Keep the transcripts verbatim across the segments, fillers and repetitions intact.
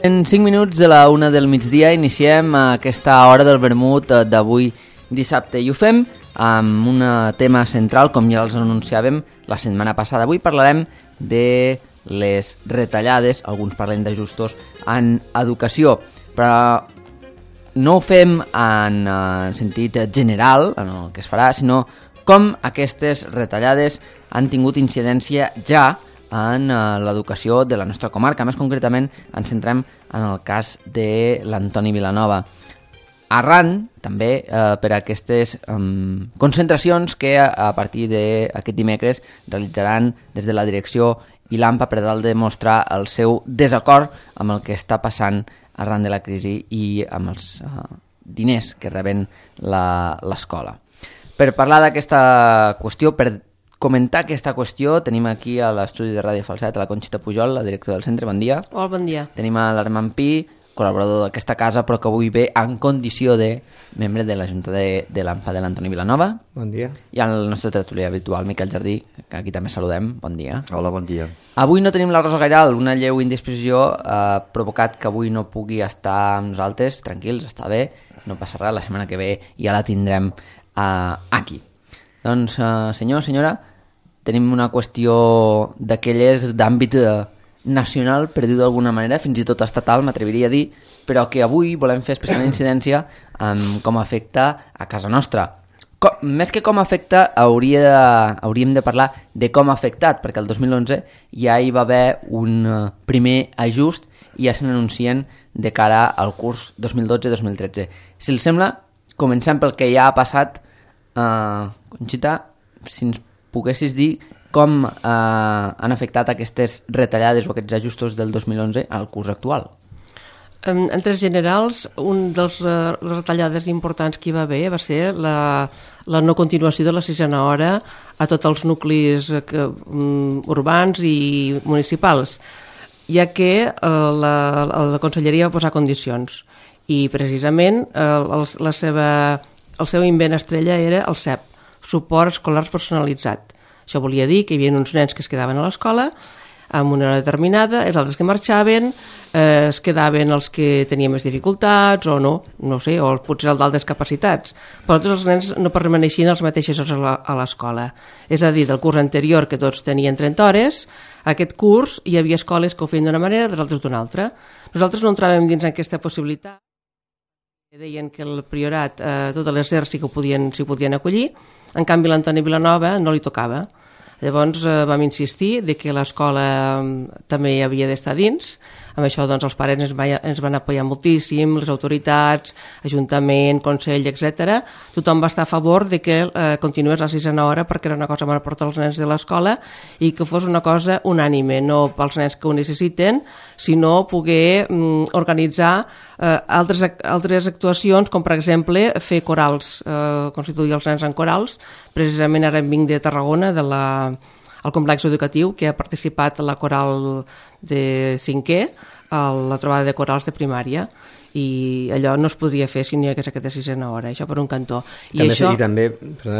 En cinc minuts de la una del migdia iniciem aquesta hora del vermut d'avui dissabte i ho fem amb un tema central, com ja els anunciàvem la setmana passada. Avui parlarem de les retallades, alguns parlen d'ajustos en educació, però no ho fem en, en sentit general, en el que es farà, sinó com aquestes retallades han tingut incidència ja en l'educació de la nostra comarca. Més concretament ens centrem en el cas de l'Antoni Vilanova. Arran, també, eh, per aquestes eh, concentracions que a, a partir d'aquest dimecres realitzaran des de la direcció i l'AMPA per tal de mostrar el seu desacord amb el que està passant arran de la crisi i amb els eh, diners que reben l'escola. Per parlar d'aquesta qüestió, per comentar aquesta qüestió, tenim aquí a l'estudi de Ràdio Falset a la Conxita Pujol, la directora del centre. Bon dia. Hola, bon dia. Tenim a l'Armand Pi, col·laborador d'aquesta casa, però que avui ve en condició de membre de la Junta de, de l'AMPA de l'Antoni Vilanova. Bon dia. I el nostre tertulià habitual, Miquel Jardí, que aquí també saludem. Bon dia. Hola, bon dia. Avui no tenim la Rosa Gairal, una lleu indisposició ha eh, provocat que avui no pugui estar amb nosaltres. Tranquils, està bé, no passa res, la setmana que ve ja la tindrem eh, aquí. Doncs, eh, senyor, senyora, tenim una qüestió d'aquelles d'àmbit nacional, per dir-ho d'alguna manera, fins i tot estatal, m'atreviria a dir, però que avui volem fer especial incidència en com afecta a casa nostra. Com, més que com afecta, hauria de, hauríem de parlar de com ha afectat, perquè el dos mil onze ja hi va haver un primer ajust i ja se n'anuncien de cara al curs dos mil dotze dos mil tretze. Si els sembla, comencem pel que ja ha passat. Uh, Conxita, si ens poguessis dir com eh, han afectat aquestes retallades o aquests ajustos del dos mil onze al curs actual. En, en termes generals, un dels uh, retallades importants que hi va haver va ser la, la no continuació de la sisena hora a tots els nuclis que, um, urbans i municipals, ja que uh, la, la Conselleria va posar condicions i precisament uh, el, la seva, el seu invent estrella era el C E P, suport escolar personalitzat. Això volia dir que hi havia uns nens que es quedaven a l'escola amb una hora determinada, els altres que marxaven, eh, es quedaven els que tenien més dificultats o no, no sé, o potser els d'altres capacitats. Però tots els nens no permaneixien a les mateixes hores a l'escola. És a dir, del curs anterior, que tots tenien trenta hores, aquest curs hi havia escoles que ho feien d'una manera, dels altres d'una altra. Nosaltres no entràvem dins aquesta possibilitat. Deien que el priorat, eh, totes les E R sí que ho podien, s'hi podien acollir. En canvi, l'Antoni Vilanova no li tocava. Llavors eh, vam insistir de que l'escola eh, també hi havia d'estar dins. Amb això doncs, els pares ens, va, ens van apoyar moltíssim, les autoritats, Ajuntament, Consell, etcètera. Tothom va estar a favor de que eh, continués la sisena hora perquè era una cosa bona per tots els nens de l'escola i que fos una cosa unànime, no pels nens que ho necessiten, sinó poder mm, organitzar eh, altres, altres actuacions, com per exemple fer corals, eh, constituir els nens en corals. Precisament ara vinc de Tarragona, de la, el complex educatiu, que ha participat a la coral de cinquè, a la trobada de corals de primària, i allò no es podria fer si no hi hagués aquesta sisena hora, això per un cantó. I, també, això... i també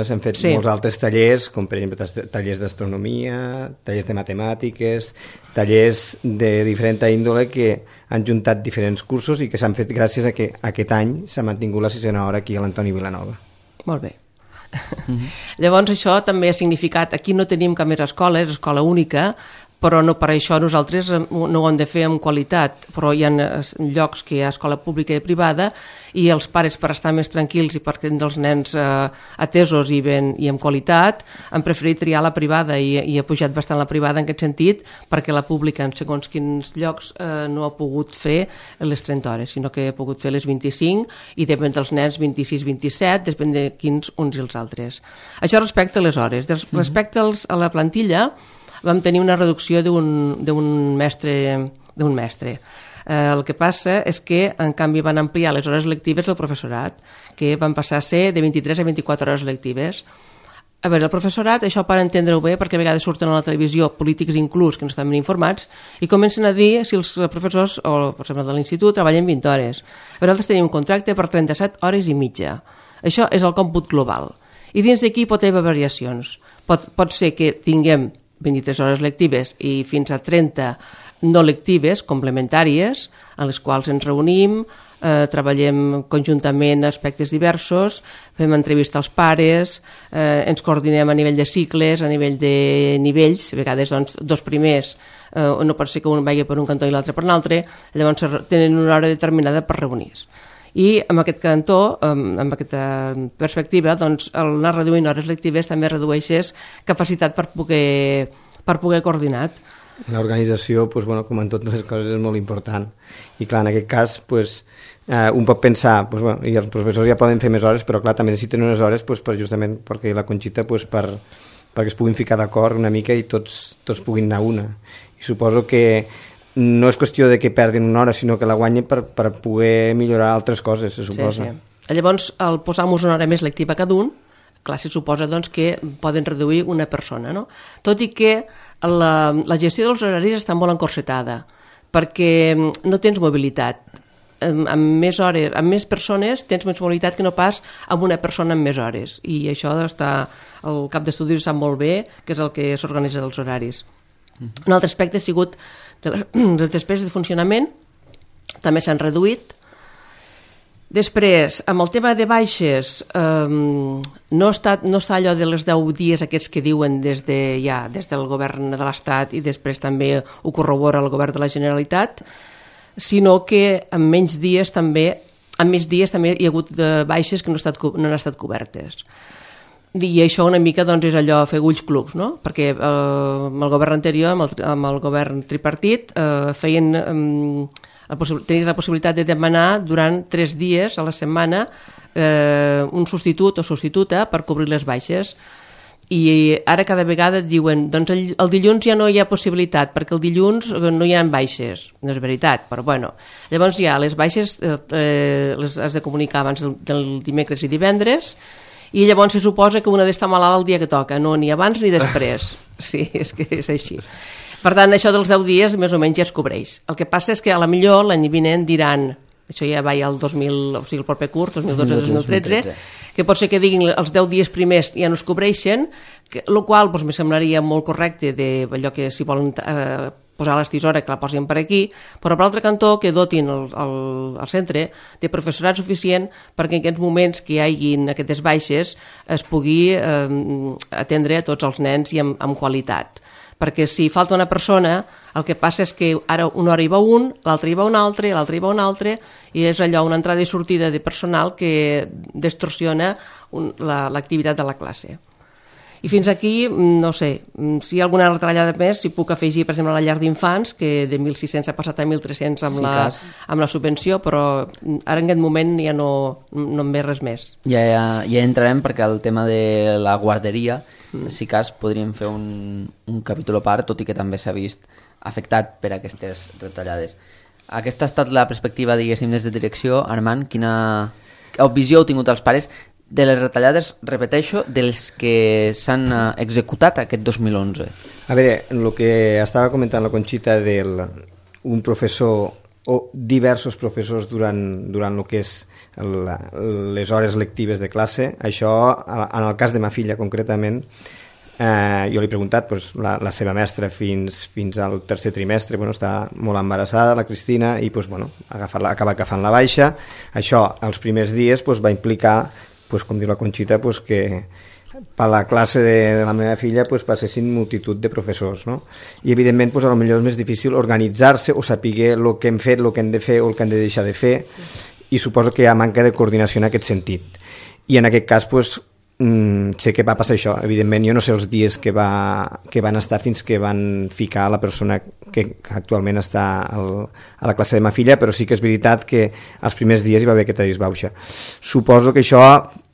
s'han fet sí. molts altres tallers, com per exemple tallers d'astronomia, tallers de matemàtiques, tallers de diferent índole que han juntat diferents cursos i que s'han fet gràcies a que aquest any s'ha mantingut la sisena hora aquí a l'Antoni Vilanova. Molt bé. Mm-hmm. Llavors això també ha significat, aquí no tenim cap més escola, és escola única, però no per això nosaltres no ho hem de fer amb qualitat, però hi ha llocs que hi ha escola pública i privada i els pares, per estar més tranquils i per tenir els nens eh, atesos i, ben, i amb qualitat, han preferit triar la privada i, i ha pujat bastant la privada en aquest sentit, perquè la pública en segons quins llocs eh, no ha pogut fer les trenta hores, sinó que ha pogut fer les vint-i-cinc i depèn dels nens vint-i-sis vint-i-set, depèn de quins uns i els altres. Això respecte a les hores. Respecte als, a la plantilla, vam tenir una reducció d'un mestre. d'un mestre. Eh, el que passa és que, en canvi, van ampliar les hores lectives del professorat, que van passar a ser de vint-i-tres a vint-i-quatre hores lectives. A veure, el professorat, això per entendre-ho bé, perquè a vegades surten a la televisió polítics inclús que no estan ben informats i comencen a dir si els professors, o per exemple de l'institut, treballen vint hores. A veure, nosaltres tenim un contracte per trenta-set hores i mitja. Això és el còmput global. I dins d'aquí pot haver variacions. Pot, pot ser que tinguem vint-i-tres hores lectives i fins a trenta no lectives, complementàries, en les quals ens reunim, eh, treballem conjuntament aspectes diversos, fem entrevista als pares, eh, ens coordinem a nivell de cicles, a nivell de nivells, a vegades doncs, dos primers, eh, no pot ser que un vagi per un cantó i l'altre per un altre, llavors tenen una hora determinada per reunir-se. I amb aquest cantó, amb aquesta perspectiva, doncs, el anar reduint hores lectives també redueixes capacitat per poder, per poder coordinar. L'organització, doncs, bueno, com en totes les coses, és molt important. I clar, en aquest cas, doncs, eh, un pot pensar, doncs, bueno, i els professors ja poden fer més hores, però clar, també necessiten unes hores doncs, per, justament perquè la Conxita, doncs, per, perquè es puguin ficar d'acord una mica i tots, tots puguin anar una. I suposo que no és qüestió de que perdin una hora, sinó que la guanyin per, per poder millorar altres coses, se suposa. Sí, sí. Llavors, al posar-nos una hora més lectiva cada un, clar, se suposa doncs, que poden reduir una persona, no? Tot i que la, la gestió dels horaris està molt encorsetada, perquè no tens mobilitat. Amb, amb més hores, amb més persones tens més mobilitat que no pas amb una persona amb més hores. I això està, el cap d'estudis sap molt bé, que és el que s'organitza dels horaris. Uh-huh. Un altre aspecte ha sigut de les, les despeses de funcionament, també s'han reduït. Després, amb el tema de baixes, eh, no, està, no està allò de les deu dies aquests que diuen des, de, ja, des del govern de l'Estat i després també ho corrobora el govern de la Generalitat, sinó que en menys dies també, en més dies també hi ha hagut de baixes que no, estat, no han estat cobertes. I això una mica doncs, és allò fer ulls clucs, no? Perquè eh, amb el govern anterior, amb el, amb el govern tripartit, eh, feien, eh, tenies la possibilitat de demanar durant tres dies a la setmana eh, un substitut o substituta per cobrir les baixes. I ara cada vegada diuen doncs el, el dilluns ja no hi ha possibilitat perquè el dilluns no hi ha baixes. No és veritat, però bueno. Llavors ja les baixes eh, les has de comunicar abans del, del dimecres i divendres, i llavors se suposa que una ha d'estar malalt el dia que toca, no ni abans ni després. Sí, és que és així. Per tant, això dels deu dies més o menys ja es cobreix. El que passa és que a la millor l'any vinent diran, això ja va al dos mil, o sigui, el proper curs, dos mil dotze dos mil tretze, que pot ser que diguin els deu dies primers ja no es cobreixen, el qual doncs, me semblaria molt correcte de allò que si volen eh, posar les tisores que la posin per aquí, però per l'altre cantó que dotin el, el, el centre de professorat suficient perquè en aquests moments que hi hagin aquestes baixes es pugui eh, atendre a tots els nens i amb, amb qualitat. Perquè si falta una persona, el que passa és que ara una hora hi va un, l'altra hi va un altre, l'altra hi va un altre, i és allò, una entrada i sortida de personal que distorsiona un, la, l'activitat de la classe. I fins aquí, no sé, si hi ha alguna retallada més, si puc afegir, per exemple, la llar d'infants, que de mil sis-cents ha passat a mil tres-cents amb, sí, la, amb la subvenció, però ara en aquest moment ja no, no en ve res més. Ja, ja, ja entrarem perquè el tema de la guarderia, mm. si cas, podríem fer un, un capítol a part, tot i que també s'ha vist afectat per aquestes retallades. Aquesta ha estat la perspectiva, diguéssim, des de direcció. Armand, quina visió heu tingut els pares de les retallades, repeteixo, dels que s'han executat aquest dos mil onze? A veure, el que estava comentant la Conxita del un professor o diversos professors durant, durant el que és la, les hores lectives de classe, això, en el cas de ma filla concretament, eh, jo li he preguntat, doncs, la, la seva mestra fins, fins al tercer trimestre, bueno, està molt embarassada, la Cristina, i doncs, bueno, agafar-la, acaba agafant la baixa. Això, els primers dies, doncs, va implicar, pues, com diu la Conxita, pues, que per la classe de, de la meva filla pues, passessin multitud de professors, no? I evidentment pues, potser és més difícil organitzar-se o saber el que hem fet, el que hem de fer o el que hem de deixar de fer, i suposo que hi ha manca de coordinació en aquest sentit. I en aquest cas pues, mm, sé que va passar això. Evidentment jo no sé els dies que, va, que van estar fins que van ficar la persona que actualment està al, a la classe de ma filla, però sí que és veritat que els primers dies hi va haver aquesta disbauxa. Suposo que això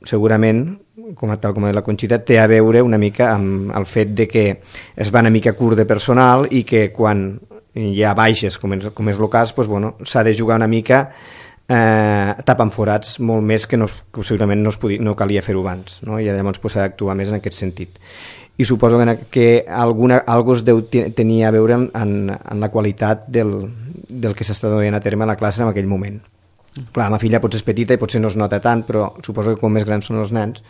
segurament, com a tal com la Conxita, té a veure una mica amb el fet de que es va una mica curt de personal i que quan hi ha baixes, com és, com és el cas, doncs, bueno, s'ha de jugar una mica eh, tapant forats molt més que, no, que segurament no, es podia, no calia fer-ho abans, no? I llavors pues, s'ha d'actuar més en aquest sentit. I suposo que alguna cosa deu tenir a veure en, en la qualitat del, del que s'està donant a terme a la classe en aquell moment. Clar, la meva filla potser és petita i potser no es nota tant, però suposo que com més grans són els nens,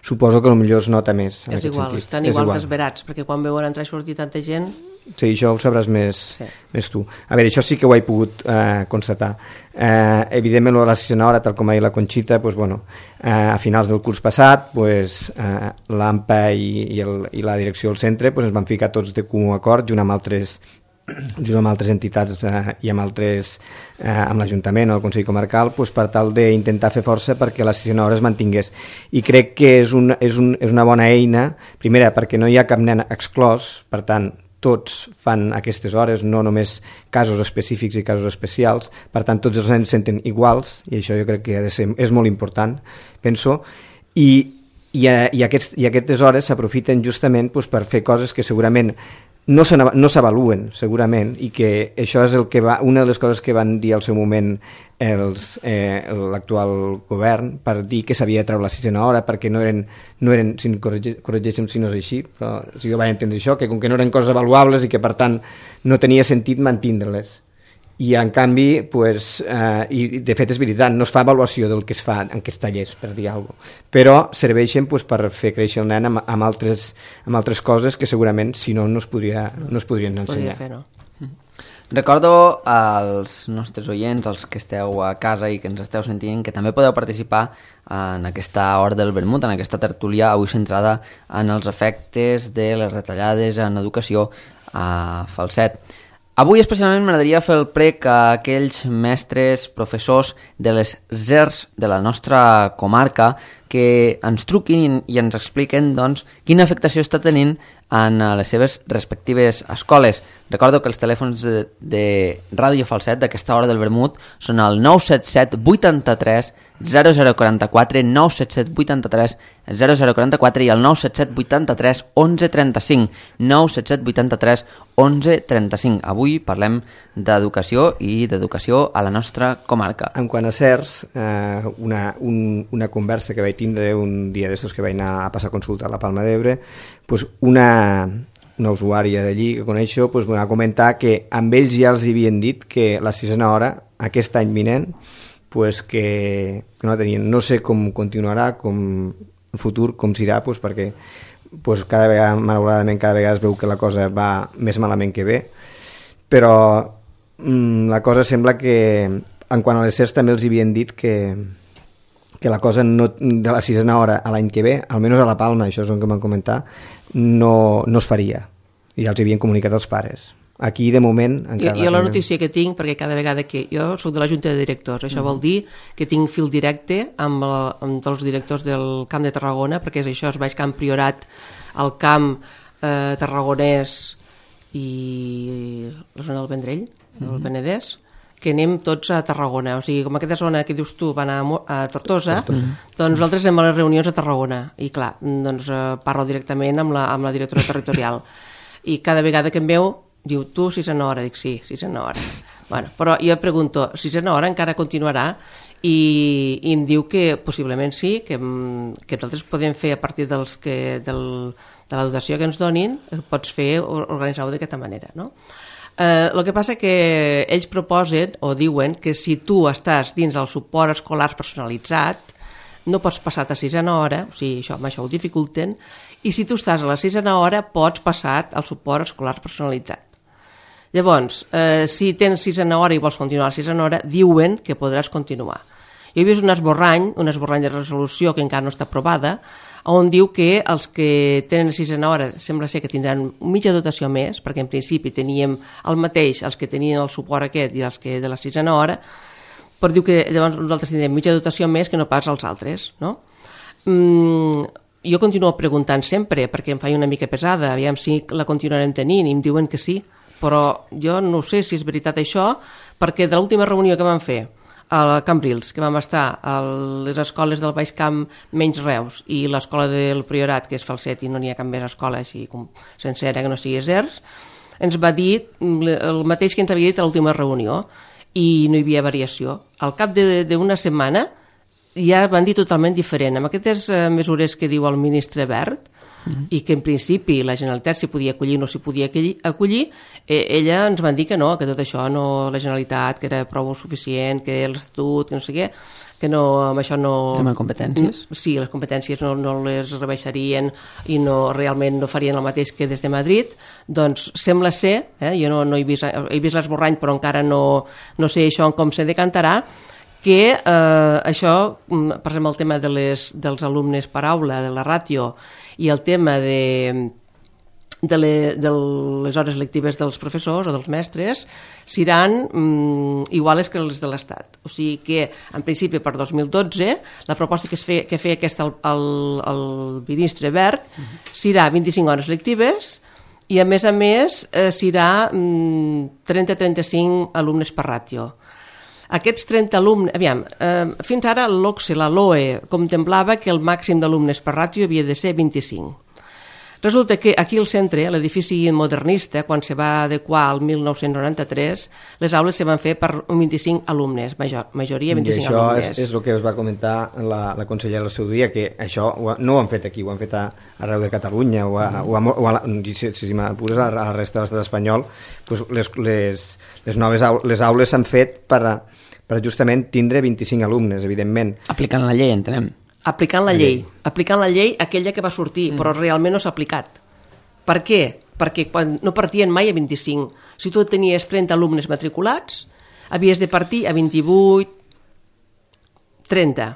suposo que potser es nota més. És igual, sentit. Estan igual desesperats, perquè quan veuen entrar i sortir tanta gent... Sí, això ho sabràs més, sí. més tu. A veure, això sí que ho he pogut eh, constatar. Eh, evidentment, la sisena hora, tal com ha dit la Conxita, pues, bueno, eh, a finals del curs passat, pues, eh, l'A M P A i, i, el, i la direcció del centre pues, ens van ficar tots de comú acord, junt amb altres junt amb altres entitats eh, i amb altres eh, amb l'Ajuntament o el Consell Comarcal pues, per tal d'intentar fer força perquè la sisena hora es mantingués, i crec que és, un, és, un, és una bona eina, primera perquè no hi ha cap nen exclòs, per tant tots fan aquestes hores, no només casos específics i casos especials, per tant tots els nens se senten iguals, i això jo crec que ha de ser, és molt important, penso, i, i, i, aquests, i aquestes hores s'aprofiten justament pues, per fer coses que segurament no s'avaluen segurament, i que això és el que va, una de les coses que van dir al seu moment els, eh, l'actual govern, per dir que s'havia de treure la sisena hora perquè no eren, no eren si corregeixen si no és així, però si jo vaig entendre això, que com que no eren coses avaluables i que per tant no tenia sentit mantindre-les. I en canvi, pues, eh, i de fet és veritat, no es fa avaluació del que es fa en aquests tallers, per dir alguna cosa, però serveixen pues, per fer créixer el nen amb, amb, altres, amb altres coses que segurament si no no es, podria, no es podrien ensenyar. Podria fer, no? Recordo als nostres oients, als que esteu a casa i que ens esteu sentint, que també podeu participar en aquesta hora del vermut, en aquesta tertúlia avui centrada en els efectes de les retallades en educació a Falset. Avui especialment m'agradaria fer el prec a aquells mestres, professors de les Z E R S de la nostra comarca que ens truquin i ens expliquen doncs, quina afectació està tenint en les seves respectives escoles. Recordo que els telèfons de, de Ràdio Falset d'aquesta hora del vermut són el nou set set vuitanta-tres zero zero quaranta-quatre, nou set set vuitanta-tres zero zero quaranta-quatre i el nou set set vuitanta-tres onze trenta-cinc, nou set set vuitanta-tres onze trenta-cinc. Avui parlem d'educació i d'educació a la nostra comarca. En quant a C E R S, eh, una, un, una conversa que vaig tindre un dia d'estos que vaig anar a passar consulta a la Palma d'Ebre, pues una, una usuària d'allí que coneixo pues, va comentar que amb ells ja els havien dit que la sisena hora, aquest any vinent, pues que, que no tenien. No sé com continuarà, com el futur, com s'irà, pues perquè pues cada vegada, malauradament, cada vegada es veu que la cosa va més malament que bé, però mm, la cosa sembla que en quant a les C E R S també els havien dit que, que la cosa no, de la sisena hora a l'any que ve, almenys a la Palma, això és el que m'han comentat, no, no es faria, i ja els havien comunicat els pares. Aquí, de moment... Jo, jo la notícia que tinc, perquè cada vegada que... Jo soc de la Junta de Directors, això mm. vol dir que tinc fil directe amb, el, amb els directors del Camp de Tarragona, perquè és això, es baix Camp Priorat, el Camp eh, Tarragonès i la zona del Vendrell, mm. el Penedès, que anem tots a Tarragona. O sigui, com aquesta zona que dius tu va anar a Tortosa, mm. doncs nosaltres anem a les reunions a Tarragona. I clar, doncs eh, parlo directament amb la, amb la directora territorial. I cada vegada que em veu diu, tu sisena hora, dic sí, sisena hora. Bueno, però jo pregunto, sisena hora encara continuarà? I, i em diu que possiblement sí, que, que nosaltres podem fer a partir dels que, del, de la dotació que ens donin, pots fer, organitzar-ho d'aquesta manera, no? Eh, el que passa que ells proposen o diuen que si tu estàs dins del suport escolar personalitzat, no pots passar a sisena hora, o sigui, això, amb això ho dificulten, i si tu estàs a la sisena hora pots passar al suport escolar personalitzat. Llavors, eh, si tens sisena hora i vols continuar a la sisena hora, diuen que podràs continuar. Jo he vist un esborrany, un esborrany de resolució que encara no està aprovada, on diu que els que tenen sisena hora sembla ser que tindran mitja dotació més, perquè en principi teníem el mateix els que tenien el suport aquest i els que de la sisena hora, però diu que llavors nosaltres tindrem mitja dotació més que no pas els altres, no? Mm, jo continuo preguntant sempre, perquè em faig una mica pesada, aviam si la continuarem tenint, i em diuen que sí, però jo no sé si és veritat això, perquè de l'última reunió que vam fer a Cambrils, que vam estar a les escoles del Baix Camp menys Reus i l'escola del Priorat, que és Falset i no n'hi ha cap més escola així com sencera que no sigui Z E R S, ens va dir el mateix que ens havia dit a l'última reunió i no hi havia variació. Al cap d'una setmana ja van dir totalment diferent. Amb aquestes mesures que diu el ministre Wert, mm. i que en principi la Generalitat s'hi podia acollir o no s'hi podia acollir, eh, ella ens van dir que no, que tot això no, la Generalitat, que era prou suficient, que l'Estatut, que no sé què, que no, amb això no... Tema competències? Sí, les competències no, no les rebaixarien i no, realment no farien el mateix que des de Madrid. Doncs sembla ser, eh, jo no, no he vist, he vist l'esborrany però encara no, no sé això com se decantarà, que eh, això, per exemple, el tema de les, dels alumnes per aula, de la ràtio, i el tema de, de, le, de les hores lectives dels professors o dels mestres, seran mm, iguales que les de l'Estat. O sigui que, en principi, per dos mil dotze, la proposta que, es fe, que feia aquesta el, el, el ministre Wert serà vint-i-cinc hores lectives i, a més a més, eh, serà mm, trenta a trenta-cinc alumnes per ràtio. Aquests trenta alumnes... Aviam, eh, fins ara l'O C S E, la L O E, contemplava que el màxim d'alumnes per ràtio havia de ser vint-i-cinc. Resulta que aquí al centre, l'edifici modernista, quan se va adequar al mil nou-cents noranta-tres, les aules se van fer per vint-i-cinc alumnes, major, majoria vint-i-cinc I això alumnes. És, és el que es va comentar la, la consellera al seu dia, que això ho, no ho han fet aquí, ho han fet a, arreu de Catalunya, o, a, o, a, o a, si, si m'apures a, a la resta de l'estat espanyol, doncs les, les, les noves aules, les aules s'han fet per a, per justament tindre vint-i-cinc alumnes, evidentment. Aplicant la llei, entenem. Aplicant la llei, aplicant la llei aquella que va sortir, mm. però realment no s'ha aplicat. Per què? Perquè quan no partien mai a vint-i-cinc. Si tu tenies trenta alumnes matriculats, havies de partir a vint-i-vuit, trenta.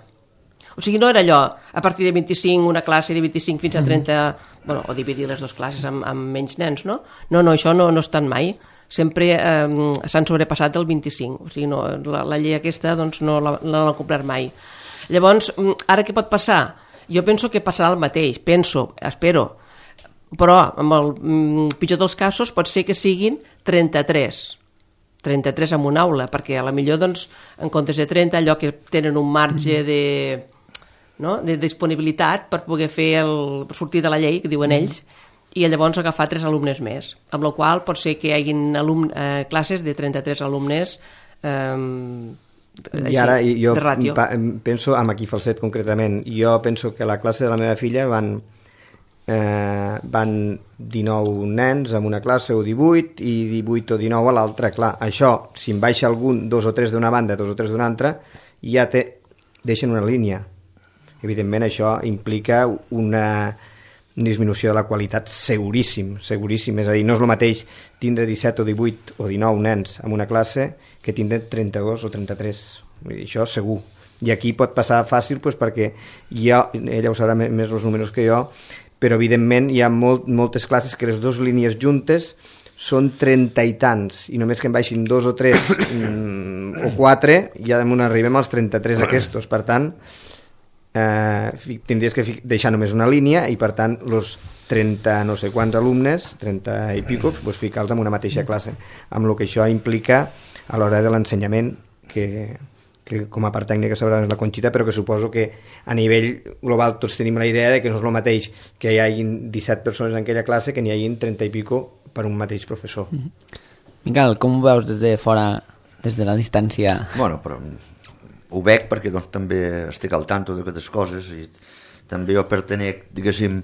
O sigui, no era allò, a partir de vint-i-cinc, una classe de vint-i-cinc fins a trenta, mm. bueno, o dividir les dues classes amb, amb menys nens, no? No, no, això no, no és tant mai. Sempre eh, s'han sobrepassat del vint-i-cinc, o sigui, no, la, la llei aquesta doncs, no l'han complert mai. Llavors, ara què pot passar? Jo penso que passarà el mateix, penso, espero, però amb el mm, pitjor dels casos pot ser que siguin trenta-tres, trenta-tres en una aula, perquè a la millor, doncs, en comptes de trenta, allò que tenen un marge de, no, de disponibilitat per poder fer el sortir de la llei, que diuen ells, i llavors agafar tres alumnes més, amb la qual pot ser que hi hagi alumne, eh, classes de trenta-tres alumnes eh, així, I ara jo de ràtio. Penso amb aquí Falset concretament, jo penso que a la classe de la meva filla van, eh, van dinou nens en una classe o divuit i divuit o dinou a l'altra. Clar, això, si en baixa algun, dos o tres d'una banda, dos o tres d'una altra, ja te deixen una línia. Evidentment això implica una disminució de la qualitat seguríssim, seguríssim. És a dir, no és el mateix tindre disset o divuit o dinou nens en una classe que tindre trenta-dos o trenta-tres. Vull dir, això segur. I aquí pot passar fàcil doncs, perquè jo, ella ho sabrà més els números que jo, però evidentment hi ha molt, moltes classes que les dues línies juntes són trenta i tants, i només que en baixin dos o tres mm, o quatre, ja damunt arribem als trenta-tres aquests. Per tant, eh, tindries que deixar només una línia i per tant els trenta no sé quants alumnes, trenta i pico, doncs ficar-los en una mateixa classe, amb el que això implica a l'hora de l'ensenyament, que, que com a part tècnica sabrà la Conxita, però que suposo que a nivell global tots tenim la idea de que no és el mateix que hi hagin disset persones en aquella classe que n'hi hagin trenta i pico per un mateix professor. Mm-hmm. Miquel, com ho veus des de fora, des de la distància? Bueno, però ho veig perquè doncs, també estic al tanto d'aquestes coses i també jo pertenec, diguéssim,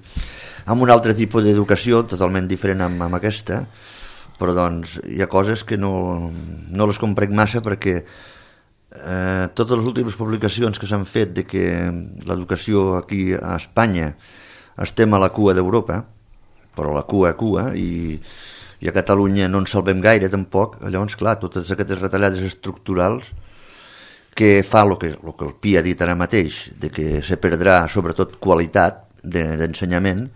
a un altre tipus d'educació totalment diferent amb, amb aquesta, però doncs hi ha coses que no, no les comprenc massa perquè eh, totes les últimes publicacions que s'han fet de que l'educació aquí a Espanya estem a la cua d'Europa, però la cua a cua, i, i a Catalunya no ens salvem gaire tampoc. Llavors, clar, totes aquestes retallades estructurals que fa el que, el que el Pi ha dit ara mateix, de que se perdrà sobretot qualitat d'ensenyament,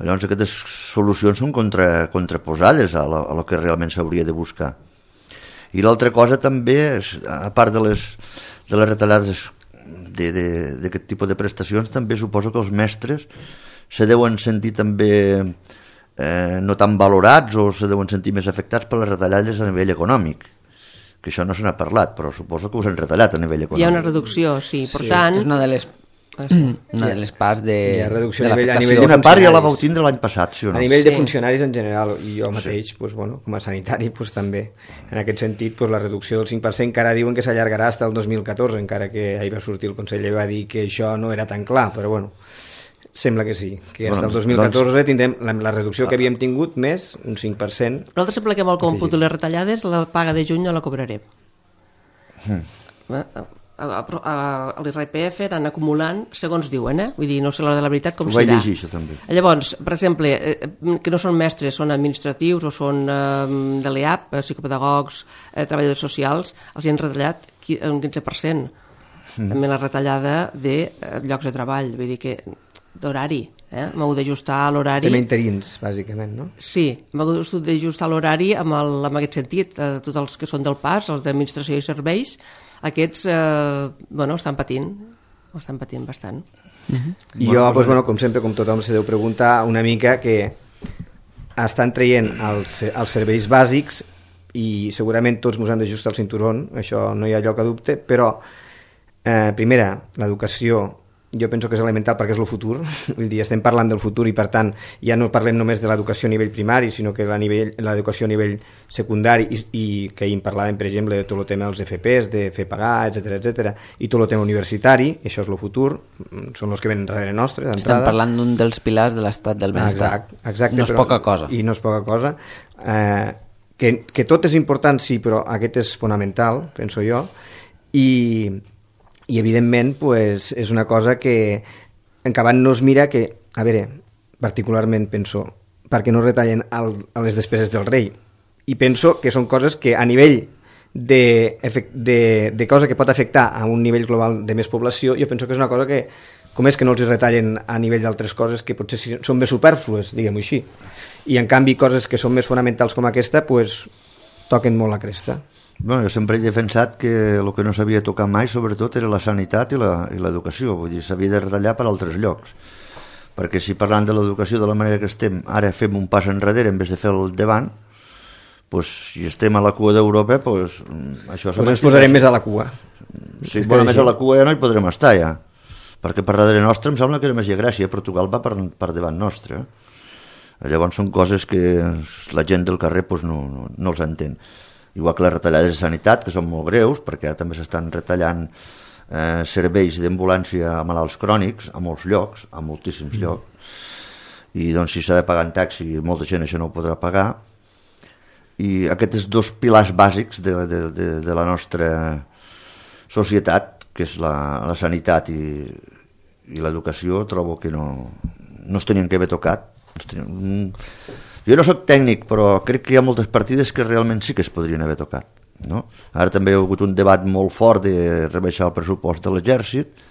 llavors aquestes solucions són contra, contraposades a, la, a lo que realment s'hauria de buscar. I l'altra cosa també, és, a part de les, de les retallades d'aquest tipus de prestacions, també suposo que els mestres se deuen sentir també eh, no tan valorats o se deuen sentir més afectats per les retallades a nivell econòmic, que això no se n'ha parlat, però suposo que us han retallat a nivell econòmic. Hi ha una reducció, sí, per sí, tant... És una de les, una de les parts de, hi ha reducció de a l'afectació. nivell de una part ja la vau tindre l'any passat, sí o no? A nivell sí. de funcionaris en general, i jo mateix, sí. pues, bueno, com a sanitari, pues, també. En aquest sentit, pues, la reducció del cinc per cent encara diuen que s'allargarà fins al dos mil catorze, encara que ahir va sortir el conseller i va dir que això no era tan clar, però bueno, Sembla que sí, que fins Bueno, al dos mil catorze doncs- tindrem la, la reducció que havíem tingut més, un cinc per cent. Nosaltres sempre que amb el còmput de les retallades, la paga de juny no la cobrarem. Mm. A, a, a, a l'I R P F anant acumulant, segons diuen, eh? Vull dir, no sé l'hora de la veritat com Ho vaig serà. llegir, això també. Llavors, per exemple, eh, que no són mestres, són administratius o són eh, de l'E A P, psicopedagogs, eh, treballadors socials, els hi han retallat qui- un quinze per cent. Mm. També la retallada de eh, llocs de treball, vull dir que d'horari, eh? M'ho d'ajustar a l'horari. Tema interins, bàsicament, no? Sí, m'ho d'ajustar l'horari amb, el, amb aquest sentit. Eh, tots els que són del P A S, els d'administració i serveis, aquests eh, bueno, estan patint, estan patint bastant. Uh-huh. I jo, doncs, bueno, com sempre, com tothom se deu preguntar una mica que estan traient els, els serveis bàsics i segurament tots ens hem d'ajustar el cinturón, això no hi ha lloc a dubte, però eh, primera, l'educació jo penso que és elemental perquè és el futur, vull dir, estem parlant del futur i per tant ja no parlem només de l'educació a nivell primari, sinó que l'educació a nivell secundari i, i que ahir en parlàvem, per exemple, de tot el tema dels F Ps, de fer pagar, etcètera, etcètera, i tot el tema universitari, això és el futur, són els que venen darrere nostre, d'entrada. Estem parlant d'un dels pilars de l'estat del benestar. Exacte, exacte, no és però, poca cosa. I no és poca cosa. Eh, que, que tot és important, sí, però aquest és fonamental, penso jo, i... i evidentment pues, és una cosa que en acabat no es mira que, a veure, particularment penso, perquè no retallen el, a les despeses del rei, i penso que són coses que a nivell de, de, de cosa que pot afectar a un nivell global de més població, jo penso que és una cosa que, com és que no els retallen a nivell d'altres coses que potser són més supèrflues, diguem-ho així, i en canvi coses que són més fonamentals com aquesta pues, toquen molt la cresta. Bueno, jo sempre he defensat que el que no s'havia tocat mai, sobretot, era la sanitat i l'educació. Vull dir, s'havia de retallar per altres llocs. Perquè si parlant de l'educació de la manera que estem, ara fem un pas enrere en vez de fer el davant, pues, si estem a la cua d'Europa, pues, això... Pues ens posarem més a la cua. Sí, bueno, més a la cua ja no hi podrem estar, ja. Perquè per darrere nostre em sembla que era més Grècia, Portugal va per, per davant nostre. Llavors són coses que la gent del carrer pues, no, no, no els entén. Igual que les retallades de sanitat, que són molt greus, perquè també s'estan retallant eh, serveis d'ambulància a malalts crònics a molts llocs, a moltíssims mm. llocs, i doncs si s'ha de pagar en taxi, molta gent això no ho podrà pagar, i aquests dos pilars bàsics de, de, de, de la nostra societat, que és la, la sanitat i, i l'educació, trobo que no, no es tenien que haver tocat. Tenien... Jo no soc tècnic, però crec que hi ha moltes partides que realment sí que es podrien haver tocat. No? Ara també hi ha hagut un debat molt fort de rebaixar el pressupost de l'exèrcit,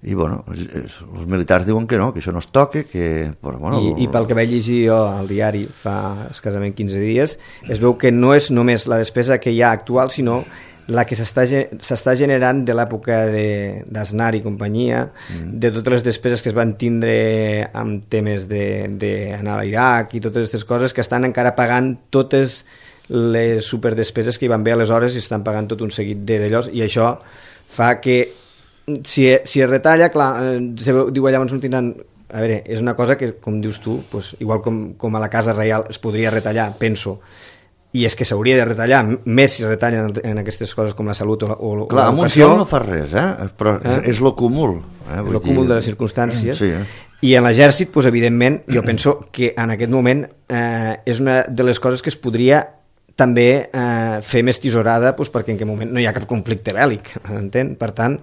i bueno, els militars diuen que no, que això no es toque, que... Però, bueno, I, I pel que vaig llegir jo al diari fa escassament quinze dies, es veu que no és només la despesa que hi ha actual, sinó la que s'està generant de l'època d'Aznar i companyia, mm. de totes les despeses que es van tindre amb temes d'anar a l'Iraq i totes aquestes coses que estan encara pagant totes les superdespeses que hi van haver aleshores i estan pagant tot un seguit d'allò, i això fa que si, si es retalla, clar, se diu allà on tindran... A veure, és una cosa que, com dius tu, pues, igual com, com a la Casa Reial es podria retallar, penso, i és que s'hauria de retallar més si retallen en aquestes coses com la salut o, o, o clar, l'educació. Clar, amb un no fa res, eh? però eh? és lo cúmul. Eh? És lo cúmul de les circumstàncies. Sí, eh? I en l'exèrcit, pues, evidentment, jo penso que en aquest moment eh, és una de les coses que es podria també eh, fer més tisorada, pues, perquè en aquest moment no hi ha cap conflicte bèl·lic, entén? Per tant,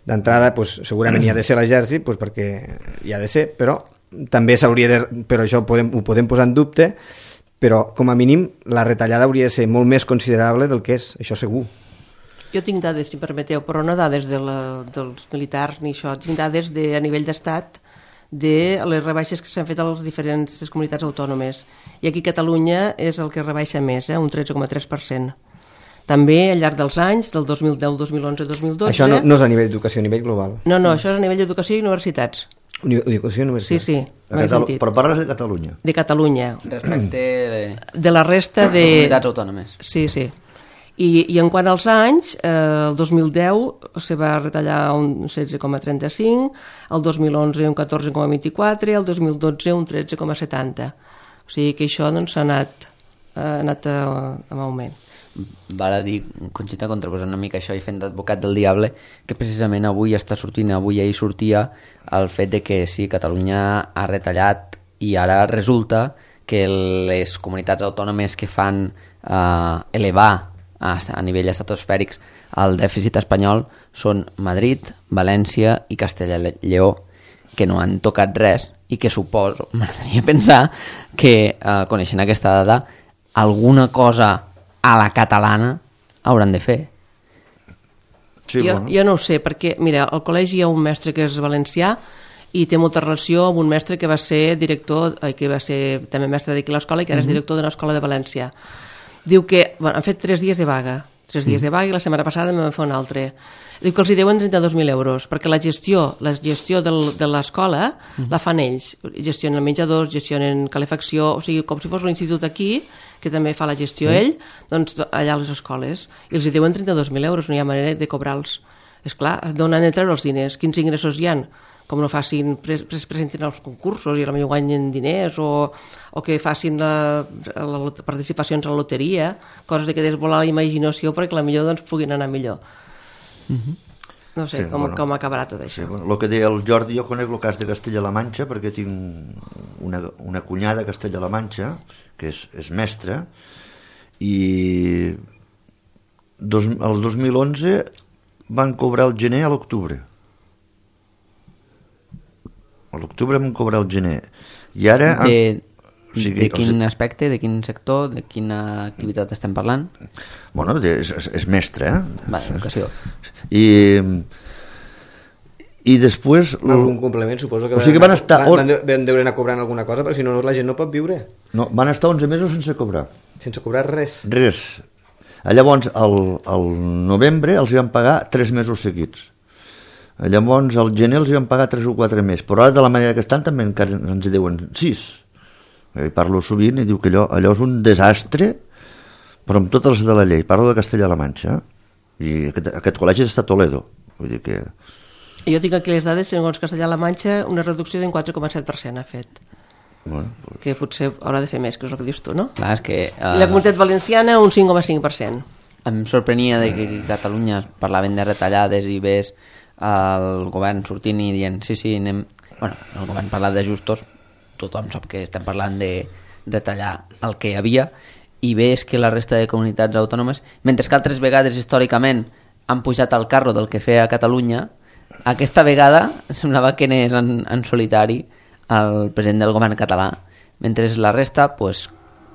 d'entrada, pues, segurament hi ha de ser l'exèrcit, pues, perquè hi ha de ser, però també s'hauria de... Però això ho podem, ho podem posar en dubte, però com a mínim la retallada hauria de ser molt més considerable del que és, això segur. Jo tinc dades, si em permeteu, però no dades de la, dels militars ni això, tinc dades de, a nivell d'estat de les rebaixes que s'han fet a les diferents comunitats autònomes. I aquí Catalunya és el que rebaixa més, eh, un tretze coma tres per cent. També al llarg dels anys, del dos mil deu, dos mil onze, dos mil dotze... Això no, no és a nivell d'educació, a nivell global. No, no, això és a nivell d'educació i universitats. Educació i universitats. Sí, sí. Catalu... Però parles de Catalunya. De Catalunya. Respecte de la resta de... comunitats autònomes. Sí, sí. I, i en quant als anys, eh, el dos mil deu se va retallar un setze coma trenta-cinc, el dos mil onze un catorze coma vint-i-quatre, el dos mil dotze un tretze coma setanta. O sigui que això doncs, s'ha anat, ha anat a, a augment. val a dir, Conxita, contraposant una mica això i fent d'advocat del diable, que precisament avui està sortint, avui ahir sortia el fet de que sí, Catalunya ha retallat i ara resulta que les comunitats autònomes que fan eh, elevar a, a nivell estratosfèrics el dèficit espanyol són Madrid, València i Castella i Lleó, que no han tocat res i que suposo, m'agradaria pensar que, eh, coneixent aquesta dada, alguna cosa a la catalana hauran de fer. Sí, jo, bueno. jo no ho sé, perquè, mira, al col·legi hi ha un mestre que és valencià i té molta relació amb un mestre que va ser director, eh, que va ser també mestre d'aquí a l'escola i que ara uh-huh. és director d'una escola de València. Diu que, bueno, han fet tres dies de vaga, tres dies uh-huh. de vaga i la setmana passada me va fer un altre. Diu que els hi deuen trenta-dos mil euros, perquè la gestió, la gestió del, de l'escola uh-huh. la fan ells. Gestionen menjadors, gestionen calefacció, o sigui, com si fos un institut aquí, que també fa la gestió uh-huh. ell, doncs allà a les escoles. I els hi deuen trenta-dos mil euros, no hi ha manera de cobrar-los. És clar, d'on han de treure els diners? Quins ingressos hi ha? Com no facin, pres, presentin els concursos i potser guanyen diners, o, o que facin la, la, la participacions a la loteria, coses de que desvolar la imaginació perquè la millor doncs, puguin anar millor. Uh-huh. No sé sí, com, bueno, com acabarà tot això. Sí, bueno, el que deia el Jordi, jo conec el cas de Castella-La Manxa perquè tinc una, una cunyada a Castella-La Manxa que és, és mestra i dos, el dos mil onze van cobrar el gener a l'octubre. A l'octubre van cobrar el gener. I ara... De, o sigui, de quin els... aspecte, de quin sector, de quina activitat estem parlant? Bueno, de, és, és mestre, eh? Va, educació. I... I després... Algun complement, suposo que, o sigui que van, estar... van, van, van deure anar cobrant alguna cosa, perquè si no la gent no pot viure. No, van estar onze mesos sense cobrar. Sense cobrar res? Res. Llavors, al, al novembre els van pagar tres mesos seguits. Llavors, al gener els van pagar tres o quatre més. Però ara, de la manera que estan, també encara ens deuen sis. I parlo sovint i diu que allò, allò és un desastre, però amb totes les de la llei. Parlo de Castella-La Manxa. I aquest, aquest col·legi està a Toledo. Vull dir que... Jo tinc aquí les dades, segons Castella-La Manxa, una reducció d'un quatre coma set per cent ha fet. Bueno, pues... Que potser haurà de fer més, que és el que dius tu, no? Clar, és que... Uh... I la Comunitat Valenciana, un cinc coma cinc per cent. Em sorprenia de que a Catalunya parlaven de retallades i ves el govern sortint i dient sí, sí, anem... Bueno, el govern parla d'ajustos, tothom sap que estem parlant de retallar el que hi havia, i ves que la resta de comunitats autònomes, mentre que altres vegades històricament han pujat al carro del que feia a Catalunya, aquesta vegada semblava que anés en, en solitari el president del govern català, mentre la resta pues,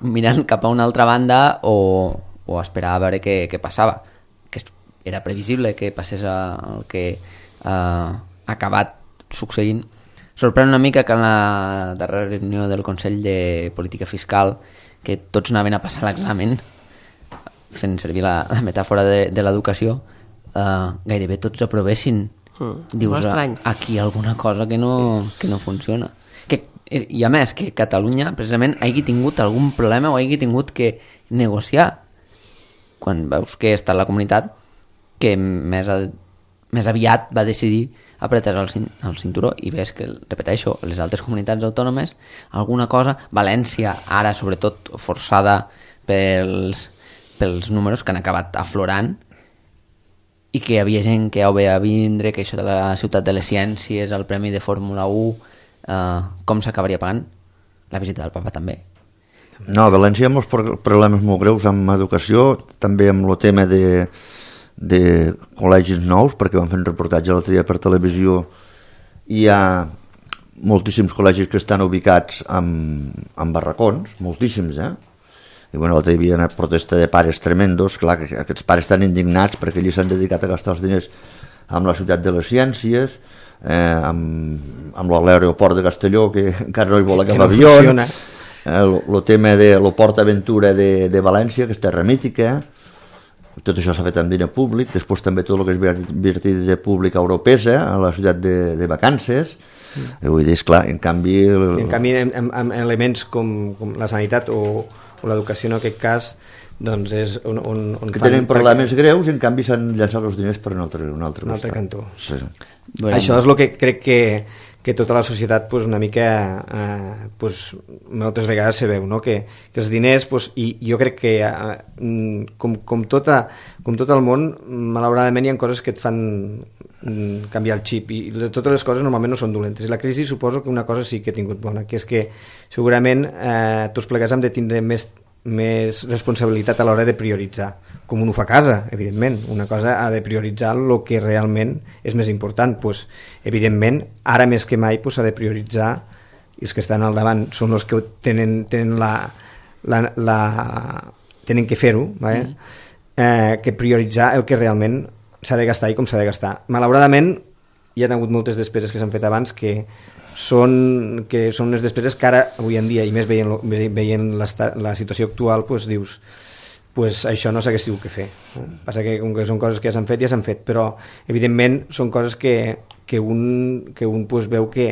mirant cap a una altra banda o, o esperar a veure què, què passava, que era previsible que passés el que eh, ha acabat succeint. Sorprèn una mica que en la darrera reunió del Consell de Política Fiscal, que tots anaven a passar l'examen, fent servir la, la metàfora de, de l'educació, eh, gairebé tots aprovessin. Mm, dius, aquí alguna cosa que no, que no funciona. Que, i a més, que Catalunya precisament hagi tingut algun problema o hagi tingut que negociar quan veus que està la comunitat que més, a, més aviat va decidir apretar el, el cinturó, i ves que, repeteixo, les altres comunitats autònomes alguna cosa, València ara sobretot forçada pels, pels números que han acabat aflorant, i que hi havia gent que ho veia vindre, que això de la ciutat de les ciències, el premi de Fórmula u, eh, com s'acabaria pagant? La visita del papa també. No, a València hi ha molts problemes molt greus amb educació, també amb el tema de, de col·legis nous, perquè van fer un reportatge l'altre dia per televisió, i hi ha moltíssims col·legis que estan ubicats en, en barracons, moltíssims, eh? I bueno, l'altre hi havia una protesta de pares tremendos, clar, que aquests pares estan indignats perquè ells s'han dedicat a gastar els diners amb la ciutat de les ciències, eh, amb, amb l'aeroport de Castelló, que encara no hi vol agafar avió, el eh, tema de la Port Aventura de, de València, que és terra mítica, tot això s'ha fet amb diner públic, després també tot el que és invertit de públic europesa, a la ciutat de, de vacances, mm. vull dir, esclar, en canvi... El... En canvi, amb, amb elements com, com la sanitat o o l'educació en aquest cas doncs és on, on, on que tenen problemes perquè... greus i en canvi s'han llançat els diners per un altre, un altre, un altre cantó. Sí. Bueno. Això és el que crec que, que tota la societat pues, una mica eh, pues, moltes vegades se veu, no? que, que els diners pues, i jo crec que eh, com, com, tota, com tot el món malauradament hi ha coses que et fan mm, canviar el xip i totes les coses normalment no són dolentes i la crisi suposo que una cosa sí que ha tingut bona, que és que segurament eh, tots plegats hem de tindre més més responsabilitat a l'hora de prioritzar, com un ho fa a casa, evidentment. Una cosa ha de prioritzar el que realment és més important. Pues, evidentment, ara més que mai s'ha pues, de prioritzar, i els que estan al davant són els que tenen, tenen, la, la, la, tenen que fer-ho, vale? mm. eh, que prioritzar el que realment s'ha de gastar i com s'ha de gastar. Malauradament, hi ha hagut moltes despeses que s'han fet abans que són, que són unes despeses que ara, avui en dia, i més veient, veient la situació actual, pues, dius, pues, això no s'hagués hagut que fer. Passa que, com que són coses que ja s'han fet, ja s'han fet, però, evidentment, són coses que, que un, que un pues, veu que,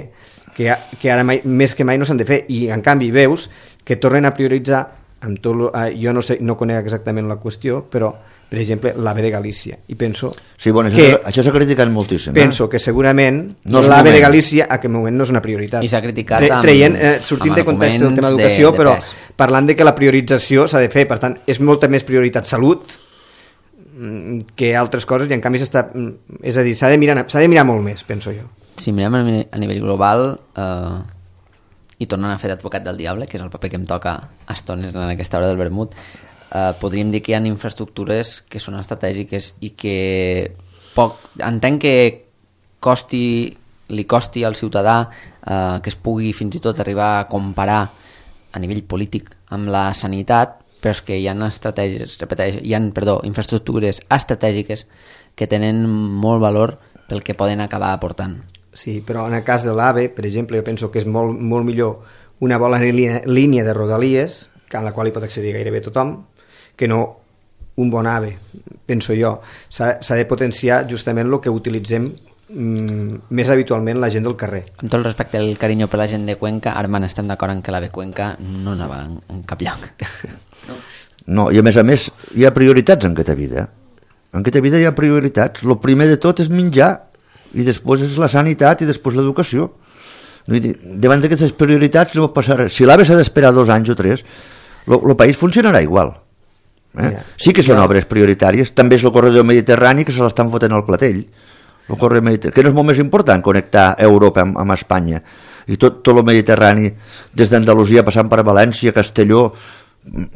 que, que ara mai, més que mai no s'han de fer, i, en canvi, veus que tornen a prioritzar, amb tot lo, jo no, sé, no conec exactament la qüestió, però per exemple, l'AVE de Galícia. I penso sí, bueno, que... Això, això s'ha criticat moltíssim. Penso eh? que segurament no l'AVE de Galícia a aquest moment no és una prioritat. I s'ha criticat Tre amb, traient, eh, sortint de context del tema d'educació, de, de però pes. Parlant de que la priorització s'ha de fer. Per tant, és molta més prioritat salut que altres coses i en canvi s'està... És a dir, s'ha de, mirar, s'ha de mirar molt més, penso jo. Si mirem a nivell global eh, i tornant a fer d'advocat del diable, que és el paper que em toca a estones en aquesta hora del vermut, Uh, podríem dir que hi ha infraestructures que són estratègiques i que poc, entenc que costi, li costi al ciutadà uh, que es pugui fins i tot arribar a comparar a nivell polític amb la sanitat, però és que hi ha estratègies, repeteix, hi ha, perdó, infraestructures estratègiques que tenen molt valor pel que poden acabar aportant. Sí, però en el cas de l'AVE, per exemple, jo penso que és molt, molt millor una bona línia, línia de rodalies, a la qual hi pot accedir gairebé tothom, que no un bon AVE, penso jo. S'ha, s'ha de potenciar justament el que utilitzem mm, més habitualment la gent del carrer. Amb tot el respecte al carinyo per la gent de Cuenca, Armand, estem d'acord en que l'AVE Cuenca no anava en, en cap lloc. No, i a més a més hi ha prioritats en aquesta vida. En aquesta vida hi ha prioritats. El primer de tot és menjar i després és la sanitat i després l'educació. Davant d'aquestes prioritats no pot passar res. Si l'AVE s'ha d'esperar dos anys o tres, el país funcionarà igual. Eh? Sí que són obres prioritàries, també és el corredor mediterrani que se l'estan fotent al clatell, el corredor mediterrani, que no és molt més important connectar Europa amb, amb Espanya, i tot, tot el Mediterrani des d'Andalusia passant per València, Castelló,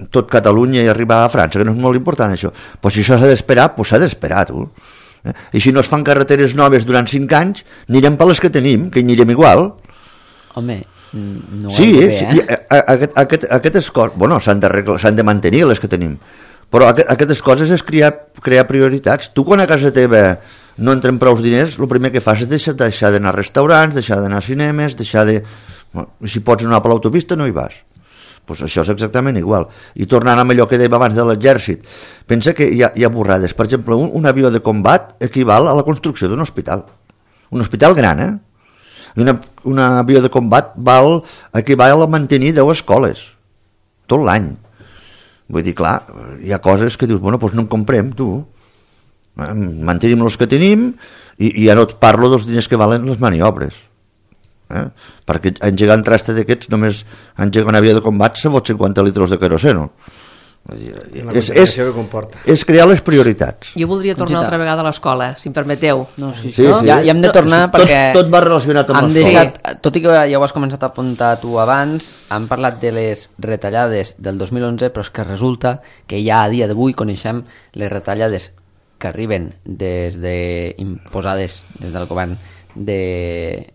tot Catalunya i arribar a França, que no és molt important això, però si això s'ha d'esperar, doncs s'ha d'esperar, tu. Eh? I si no es fan carreteres noves durant cinc anys, anirem per les que tenim, que hi anirem igual. Home, no sí, bé, eh? sí, aquest, aquest, aquestes coses, bueno, s'han de, s'han de mantenir les que tenim, però aquest, aquestes coses és crear, crear prioritats. Tu quan a casa teva no entren prou diners, el primer que fas és deixar, deixar d'anar a restaurants, deixar d'anar a cinemes, deixar de... Bueno, si pots anar per l'autopista no hi vas. Pues això és exactament igual. I tornant amb allò que dèiem abans de l'exèrcit, pensa que hi ha, hi ha borrades. Per exemple, un, un avió de combat equival a la construcció d'un hospital. Un hospital gran, eh? I una, un avió de combat val, equival a mantenir deu escoles tot l'any. Vull dir, clar, hi ha coses que dius, bueno, doncs no en comprem, tu. Mantenim els que tenim i, i ja no et parlo dels diners que valen les maniobres. Eh? Perquè engegar un traste d'aquests només engegar un avió de combat se fot cinquanta litres de queroseno. És, és, és crear les prioritats. Jo voldria tornar altra vegada a l'escola, si em permeteu. No, sí, sí, no? Sí. Ja, ja hem de tornar tot, perquè tot va relacionat amb l'escola. Deixat, tot i que ja ho has començat a apuntar tu abans, hem parlat de les retallades del dos mil onze, però és que resulta que ja a dia d'avui coneixem les retallades que arriben des de, imposades des del govern de,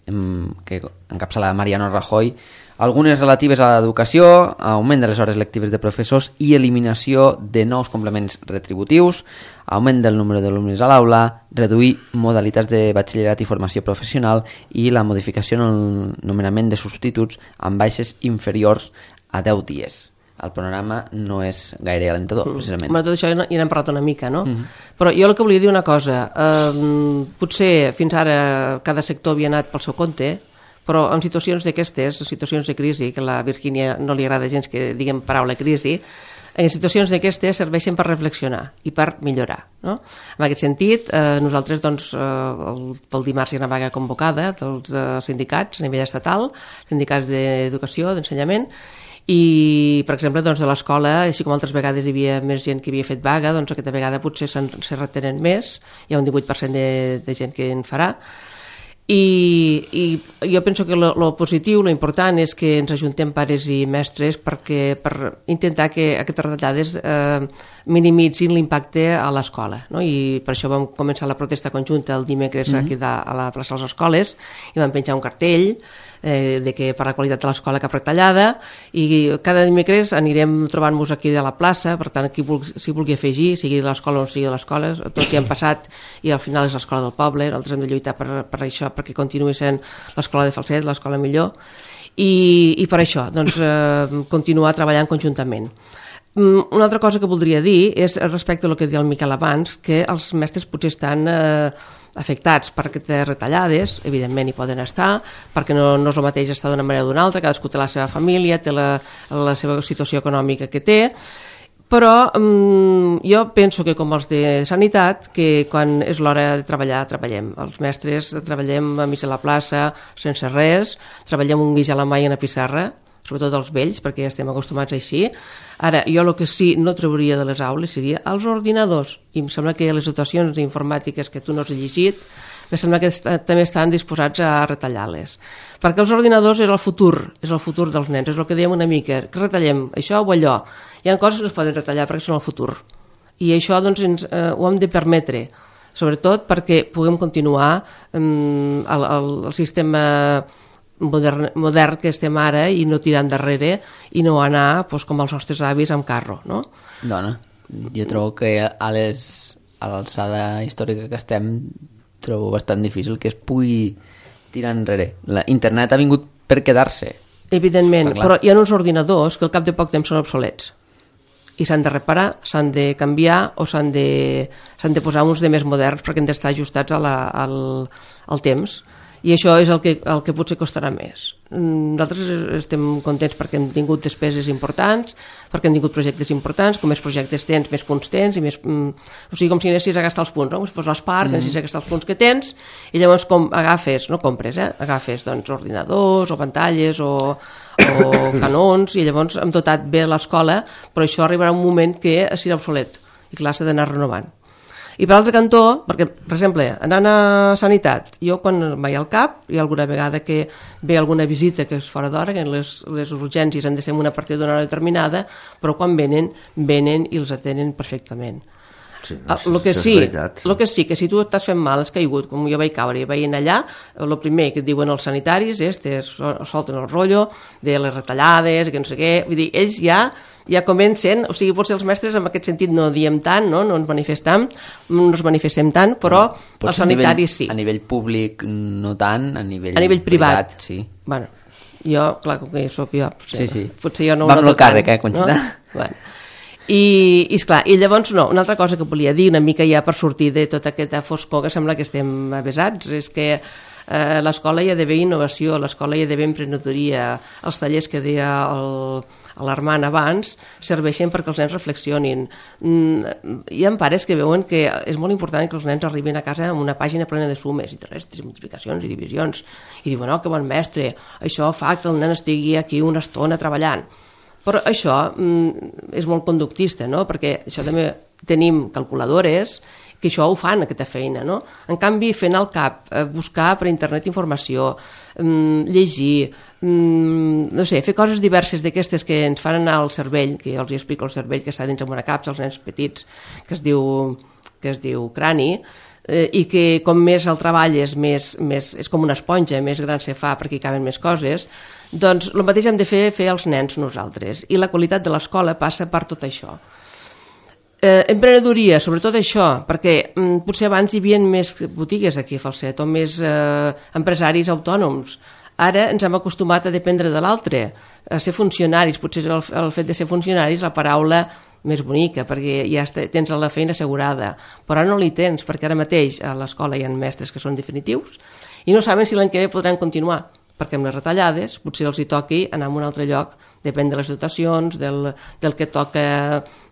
que encapçala Mariano Rajoy, algunes relatives a l'educació, augment de les hores lectives de professors i eliminació de nous complements retributius, augment del número d'alumnes a l'aula, reduir modalitats de batxillerat i formació professional i la modificació en el nomenament de substituts amb baixes inferiors a deu dies. El panorama no és gaire alentador, mm. precisament. Bueno, tot això ja n'hem parlat una mica, no? Mm-hmm. Però jo el que volia dir una cosa, eh, potser fins ara cada sector havia anat pel seu compte, però en situacions d'aquestes, en situacions de crisi, que a la Virgínia no li agrada gens que diguem paraula crisi, en situacions d'aquestes serveixen per reflexionar i per millorar, no? En aquest sentit, eh, nosaltres doncs, eh, el, pel dimarts hi ha una vaga convocada dels eh, sindicats a nivell estatal, sindicats d'educació, d'ensenyament, i per exemple doncs, de l'escola, així com altres vegades hi havia més gent que havia fet vaga, doncs aquesta vegada potser se'n se retenen més, hi ha un divuit per cent de, de gent que en farà. I, i jo penso que lo positiu, lo important és que ens ajuntem pares i mestres perquè, per intentar que aquestes retallades eh, minimitzin l'impacte a l'escola, no? I per això vam començar la protesta conjunta el dimecres mm-hmm. aquí de, a la plaça de les Escoles i vam penjar un cartell eh, de que per la qualitat de l'escola cap retallada, i cada dimecres anirem trobant-nos aquí de la plaça, per tant qui vulgui, si vulgui afegir, sigui de l'escola o no sigui de l'escola, tots hi hem passat i al final és l'escola del poble, nosaltres hem de lluitar per, per això, perquè continuï sent l'escola de Falset, l'escola millor, i, i per això doncs, eh, continuar treballant conjuntament. Una altra cosa que voldria dir és respecte al que deia el Miquel abans, que els mestres potser estan eh, afectats per aquestes retallades, evidentment hi poden estar, perquè no, no és el mateix estar d'una manera o d'una altra, cadascú té la seva família, té la, la seva situació econòmica que té, però um, jo penso que com els de sanitat, que quan és l'hora de treballar, treballem. Els mestres treballem a mig de la plaça, sense res, treballem un guix a la mà i una pissarra, sobretot els vells, perquè ja estem acostumats així. Ara, jo el que sí no trauria de les aules seria els ordinadors, i em sembla que les dotacions informàtiques que tu no has llegit, em sembla que est també estan disposats a retallar-les. Perquè els ordinadors és el futur, és el futur dels nens, és el que dèiem una mica, que retallem això o allò. Hi ha coses que no es poden retallar perquè són el futur. I això doncs, ens, eh, ho hem de permetre, sobretot perquè puguem continuar eh, el, el, el sistema modern, modern que estem ara i no tirar endarrere i no anar doncs, com els nostres avis amb carro, no? Dona, jo trobo que a les a l'alçada històrica que estem trobo bastant difícil que es pugui tirar enrere. La internet ha vingut per quedar-se. Evidentment, però hi ha uns ordinadors que al cap de poc temps són obsolets i s'han de reparar, s'han de canviar o s'han de, s'han de posar uns de més moderns perquè han d'estar ajustats a la, al, al temps. I això és el que, el que potser costarà més. Nosaltres estem contents perquè hem tingut despeses importants, perquè hem tingut projectes importants, com més projectes tens, més punts tens, i més, mm, o sigui, com si anessis a gastar els punts, no? Com si fos l'Espart, mm. anessis a gastar els punts que tens, i llavors com agafes, no compres, eh? agafes doncs, ordinadors o pantalles o, o canons, i llavors hem dotat bé l'escola, però això arribarà un moment que serà obsolet, i clar, s'ha d'anar renovant. I per l'altre cantó, perquè, per exemple, anant a sanitat, jo quan vaig al cap, hi ha alguna vegada que ve alguna visita que és fora d'hora, que les, les urgències han de ser en una partida d'una hora determinada, però quan venen, venen i els atenen perfectament. Sí, no, lo que és sí, veritat. lo que sí, que si tu estàs fent mal, has caigut, com jo vaig caure i vaig anar allà, el primer que et diuen els sanitaris és que solten el rotllo de les retallades, que no sé què, vull dir, ells ja ja comencen, o sigui, potser els mestres en aquest sentit no diem tant, no, no ens manifestem, no ens manifestem tant, però no, els sanitaris sí. A nivell públic no tant, a nivell, a nivell privat, privat sí. Bueno, jo, clar, com que soc jo, potser, sí, sí. potser jo no ho noto tant. Vam el càrrec, eh, Conxita? No? Bueno. I, i esclar, i llavors no, una altra cosa que volia dir una mica ja per sortir de tota aquesta foscor que sembla que estem avesats és que eh, l'escola hi ha d'haver innovació, l'escola hi ha d'haver emprenedoria, els tallers que deia el, l'Armand abans serveixen perquè els nens reflexionin. Mm, hi ha pares que veuen que és molt important que els nens arribin a casa amb una pàgina plena de sumes i de restes i multiplicacions i divisions i diuen, oh, que bon mestre, això fa que el nen estigui aquí una estona treballant. Però això mm, és molt conductista, no? Perquè això també tenim calculadores que això ho fan, aquesta feina, no? En canvi, fent al cap, buscar per internet informació, mmm, llegir, mmm, no sé, fer coses diverses d'aquestes que ens fan anar al cervell, que jo els explico el cervell que està dins amb una capsa, els nens petits, que es diu, que es diu crani, eh, i que com més el treball és, més, més, és com una esponja, més gran se fa perquè hi caben més coses, doncs el mateix hem de fer, fer els nens nosaltres. I la qualitat de l'escola passa per tot això. Eh, emprenedoria, sobretot això, perquè mm, potser abans hi havia més botigues aquí a Falset o més eh, empresaris autònoms. Ara ens hem acostumat a dependre de l'altre, a ser funcionaris. Potser el, el fet de ser funcionaris la paraula més bonica, perquè ja tens la feina assegurada, però ara no l'hi tens, perquè ara mateix a l'escola hi ha mestres que són definitius i no saben si l'any que ve podran continuar, perquè amb les retallades potser els hi toqui anar a un altre lloc, depèn de les dotacions, del, del que toca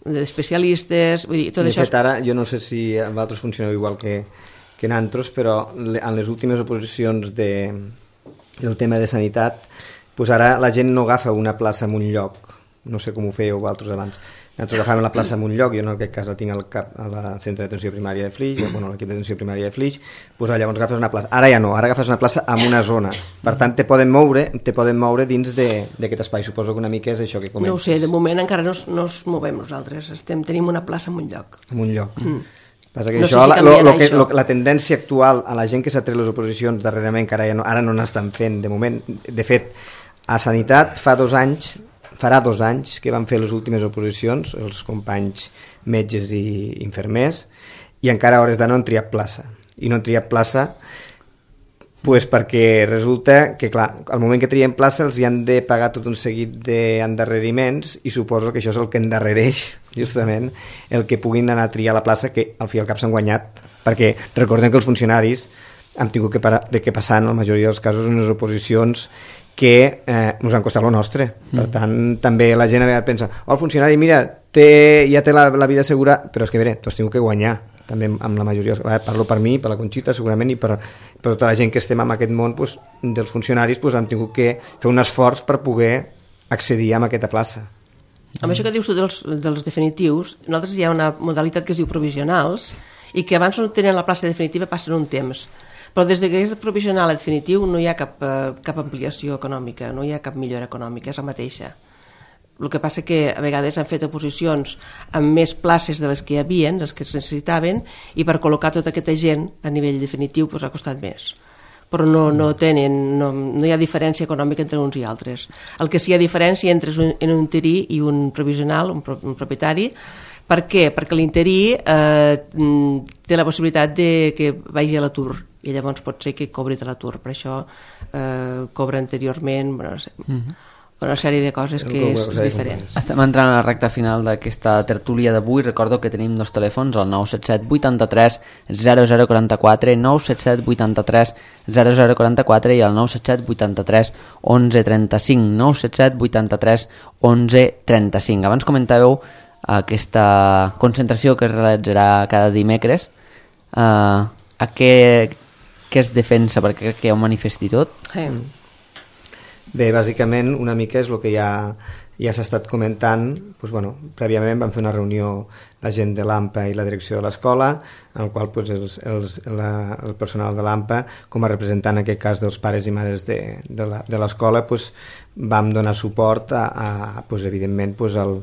d'especialistes, vull dir, tot de això... De fet, ara, jo no sé si vosaltres funcioneu igual que, que en altres, però en les últimes oposicions de, del tema de sanitat, doncs ara la gent no agafa una plaça en un lloc, no sé com ho fèieu vosaltres abans. Nosaltres agafàvem la plaça en un lloc, jo en aquest cas la tinc al cap, a la centre d'atenció primària de Flix, bueno, l'equip d'atenció primària de Flix, doncs llavors agafes una plaça. Ara ja no, ara agafes una plaça en una zona. Per tant, te poden moure, te poden moure dins d'aquest espai. Suposo que una mica és això que comentes. No ho sé, de moment encara no, no ens movem nosaltres. Estem, tenim una plaça en un lloc. En un lloc. Mm. Passa que no això, sé si la, lo, lo que, això. Lo, la tendència actual a la gent que s'ha tret les oposicions darrerament, que ara, ja no, ara no n'estan fent, de moment, de fet, a Sanitat fa dos anys farà dos anys que van fer les últimes oposicions els companys metges i infermers i encara a hores d'ara no han triat plaça i no han triat plaça pues perquè resulta que clar, al moment que trien plaça els hi han de pagar tot un seguit d'endarreriments i suposo que això és el que endarrereix justament el que puguin anar a triar la plaça que al fi i al cap s'han guanyat perquè recordem que els funcionaris han tingut que, parar, de que passar en la majoria dels casos unes oposicions que eh, ens han costat lo nostre. Mm. Per tant, també la gent a vegades pensa oh, el funcionari, mira, té, ja té la, la vida segura, però és que, mira, t'has tingut que guanyar. També amb la majoria, parlo per mi, per la Conxita, segurament, i per, per tota la gent que estem en aquest món pues, dels funcionaris, pues, han tingut que fer un esforç per poder accedir a aquesta plaça. Amb això que dius tu dels, dels definitius, nosaltres hi ha una modalitat que es diu provisionals i que abans no tenen la plaça definitiva passen un temps. Però des que és provisional a definitiu no hi ha cap, eh, cap ampliació econòmica, no hi ha cap millora econòmica, és la mateixa. El que passa que a vegades han fet oposicions amb més places de les que hi havia, les que es necessitaven, i per col·locar tota aquesta gent a nivell definitiu pues, ha costat més. Però no, no, tenen, no, no hi ha diferència econòmica entre uns i altres. El que sí hi ha diferència entre un, en un interí i un provisional, un, pro, un propietari. Per què? Perquè l'interí eh, té la possibilitat de que vagi a l'atur i llavors pot ser que cobri de l'atur, per això eh, cobra anteriorment, bueno, no sé, uh-huh. una sèrie de coses que és, és diferent. Estem entrant a la recta final d'aquesta tertúlia d'avui. Recordo que tenim dos telèfons, el nou set set vuitanta-tres zero zero quaranta-quatre, nou set set vuitanta-tres zero zero quaranta-quatre i el nou set set vuitanta-tres onze trenta-cinc, nou set set vuitanta-tres onze trenta-cinc. Abans comentàveu aquesta concentració que es realitzarà cada dimecres. Uh, a què, què es defensa? Perquè crec que hi ha un manifest i tot. Sí. Bé, bàsicament una mica és el que ja, ja s'ha estat comentant. Pues, bueno, prèviament vam fer una reunió la gent de l'AMPA i la direcció de l'escola, en el qual pues, els, els, la, el personal de l'AMPA, com a representant en aquest cas dels pares i mares de, de l'escola, pues, vam donar suport a, a pues, evidentment pues, al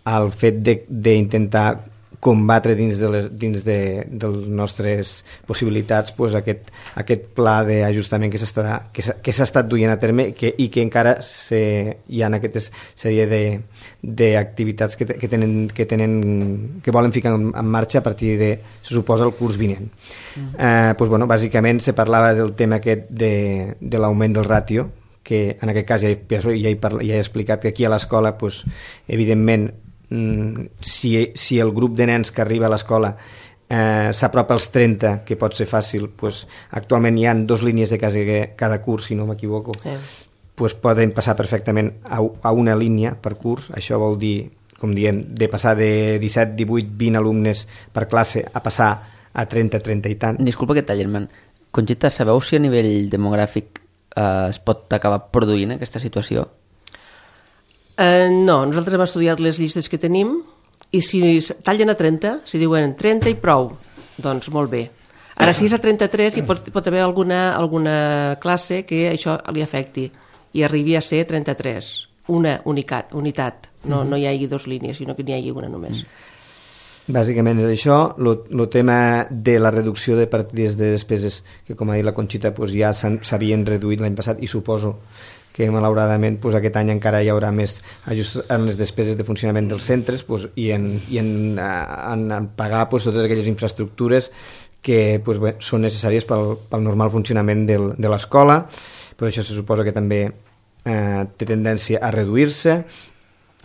al fet d'intentar combatre dins de les dins de, de les nostres possibilitats pues, aquest, aquest pla d'ajustament que s'ha que que s'ha estat duient a terme que, i que encara se, hi ha aquesta sèrie d'activitats que, que, tenen, que, tenen, que volen ficar en, en marxa a partir de, se suposa, el curs vinent. Mm. Eh, pues, bueno, bàsicament se parlava del tema aquest de, de l'augment del ràtio, que en aquest cas ja he, ja he, parla, ja he explicat que aquí a l'escola pues, evidentment Si, si el grup de nens que arriba a l'escola eh, s'apropa als trenta, que pot ser fàcil, pues, actualment hi ha dos línies de cada, cada curs, si no m'equivoco, eh. pues, poden passar perfectament a, a una línia per curs. Això vol dir, com diem, de passar de disset, divuit, vint alumnes per classe a passar a trenta, trenta i tant. Disculpa que talli, Conxita, sabeu si a nivell demogràfic eh, es pot acabar produint aquesta situació? Uh, no, nosaltres hem estudiat les llistes que tenim i si tallen a trenta, si diuen trenta i prou, doncs molt bé. Ara si és a trenta-tres hi pot, pot haver alguna, alguna classe que això li afecti i arribi a ser trenta-tres, una unitat, unitat. No, no hi hagi dues línies, sinó que n'hi hagi una només. Bàsicament és això, el tema de la reducció de partides de despeses, que com ha dit la Conxita pues ja s'havien reduït l'any passat i suposo que malauradament pues, aquest any encara hi haurà més ajust en les despeses de funcionament dels centres pues, i, en, i en, en, en pagar pues, totes aquelles infraestructures que pues, bé, són necessàries pel, pel normal funcionament del, de l'escola. Però això se suposa que també eh, té tendència a reduir-se.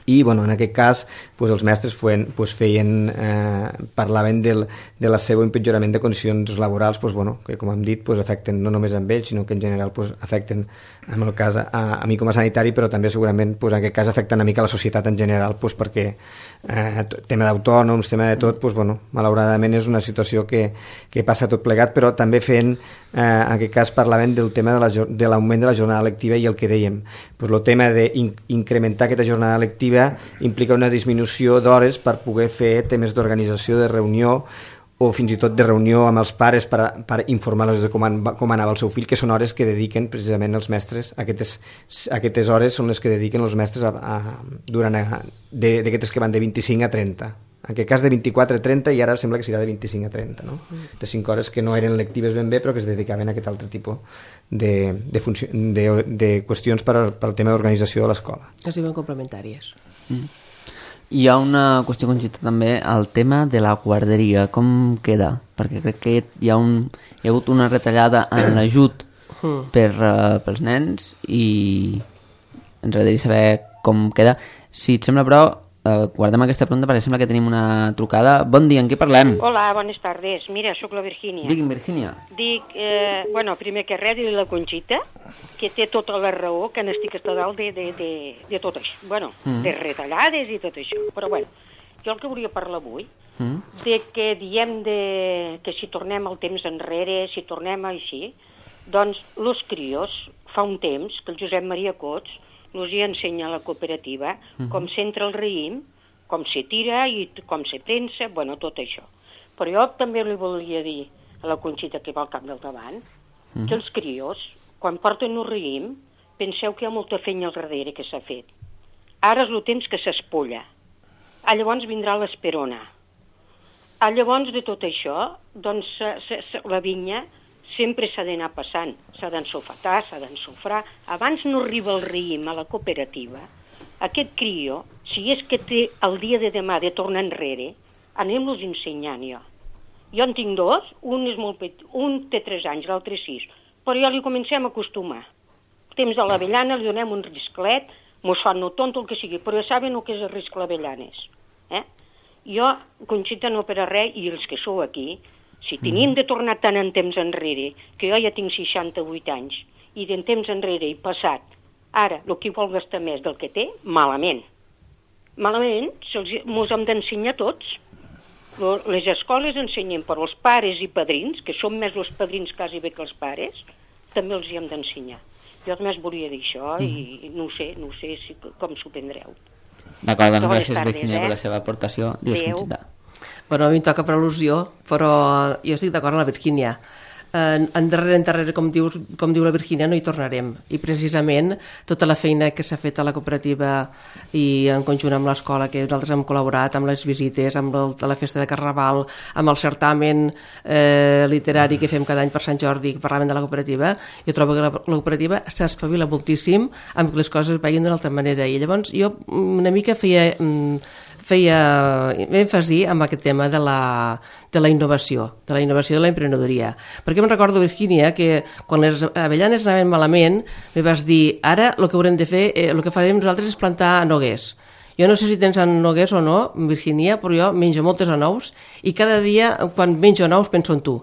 i bueno, en aquest cas pues, els mestres feien, pues, feien eh, parlaven del, de la seva empitjorament de condicions laborals pues, bueno, que com hem dit pues, afecten no només amb ells sinó que en general pues, afecten en el cas a, a mi com a sanitari però també segurament pues, en aquest cas afecten una mica la societat en general pues, perquè eh, tema d'autònoms, tema de tot pues, bueno, malauradament és una situació que, que passa tot plegat però també fent eh, en aquest cas parlaven del tema de, la, de l'augment de la jornada lectiva i el que dèiem pues, el tema d'incrementar aquesta jornada lectiva implica una disminució d'hores per poder fer temes d'organització, de reunió o fins i tot de reunió amb els pares per, a, per informar-los de com, an, com anava el seu fill, que són hores que dediquen precisament els mestres, aquestes, aquestes hores són les que dediquen els mestres a, a, durant a, de, d'aquestes que van de vint-i-cinc a trenta. En aquest cas de vint-i-quatre a trenta i ara sembla que serà de vint-i-cinc a trenta, no? De cinc hores que no eren lectives ben bé però que es dedicaven a aquest altre tipus de, de, funció, de, de qüestions per, per al tema d'organització de l'escola. Es diuen complementàries. Mm. Hi ha una qüestió conjunta també al tema de la guarderia, com queda? Perquè crec que hi ha, un, hi ha hagut una retallada en l'ajut mm. per, uh, pels nens i ens agradaria saber com queda. Si et sembla, però, Uh, guardem aquesta pregunta perquè sembla que tenim una trucada. Bon dia, en què parlem? Hola, bones tardes. Mira, sóc la Virgínia. Digui'm, Virgínia. Dic, eh, bueno, primer que res, dir-li la Conxita, que té tota la raó, que n'estic a dalt de, de, de, de tot això. Bueno, mm. de retallades i tot això. Però, bueno, jo el que volia parlar avui, mm. de que diem de, que si tornem el temps enrere, si tornem així, doncs, los crios, fa un temps, que el Josep Maria Cots els hi ensenya a la cooperativa uh -huh. com s'entra el raïm, com se tira i com se pensa, bueno, tot això. Però jo també li volia dir a la Conxita que va al cap del davant uh -huh. que els crios, quan porten un raïm, penseu que hi ha molta feina al darrere que s'ha fet. Ara és el temps que s'espolla. Ah, llavors vindrà l'esperona. Ah, llavors de tot això, doncs la vinya sempre s'ha d'anar passant, s'ha d'ensofetar, s'ha d'ensofrar. Abans no arriba el raïm a la cooperativa, aquest crió, si és que té el dia de demà de tornar enrere, anem-los ensenyant jo. Jo en tinc dos, un és molt petit, un té tres anys, l'altre sis, però ja li comencem a acostumar. El temps de l'avellana li donem un risclet, mos fan no tonto el que sigui, però ja saben el que és el risc l'avellanes. Eh? Jo, Conxita, no per a res, i els que sou aquí, si tenim de tornar tant en temps enrere, que jo ja tinc seixanta-vuit anys, i d'en temps enrere i passat, ara, el que vol gastar més del que té, malament. Malament, mos hem d'ensenyar tots. Les escoles ensenyen, però els pares i padrins, que són més els padrins quasi bé que els pares, també els hi hem d'ensenyar. Jo només volia dir això i no sé, no sé si, com s'ho prendreu. D'acord, doncs gràcies, Virgínia, eh? per la seva aportació. Dius, Conxita. Bueno, a mi em toca per al·lusió, però jo estic d'acord amb la Virgínia. En, en darrere, en darrere, com, dius, com diu la Virgínia, no hi tornarem. I precisament tota la feina que s'ha fet a la cooperativa i en conjunt amb l'escola, que nosaltres hem col·laborat amb les visites, amb el, la festa de Carnaval, amb el certamen eh, literari que fem cada any per Sant Jordi, que parlaven de la cooperativa, jo trobo que la, la cooperativa s'espavila moltíssim amb que les coses es vagin d'una altra manera. I llavors jo una mica feia... Mm, feia èmfasi amb aquest tema de la, de la innovació, de la innovació de l'emprenedoria. Perquè em recordo, Virgínia, que quan les avellanes anaven malament, me vas dir, ara el que haurem de fer, eh, el que farem nosaltres és plantar noguers. Jo no sé si tens noguers o no, Virgínia, però jo menjo moltes anous i cada dia, quan menjo anous, penso en tu.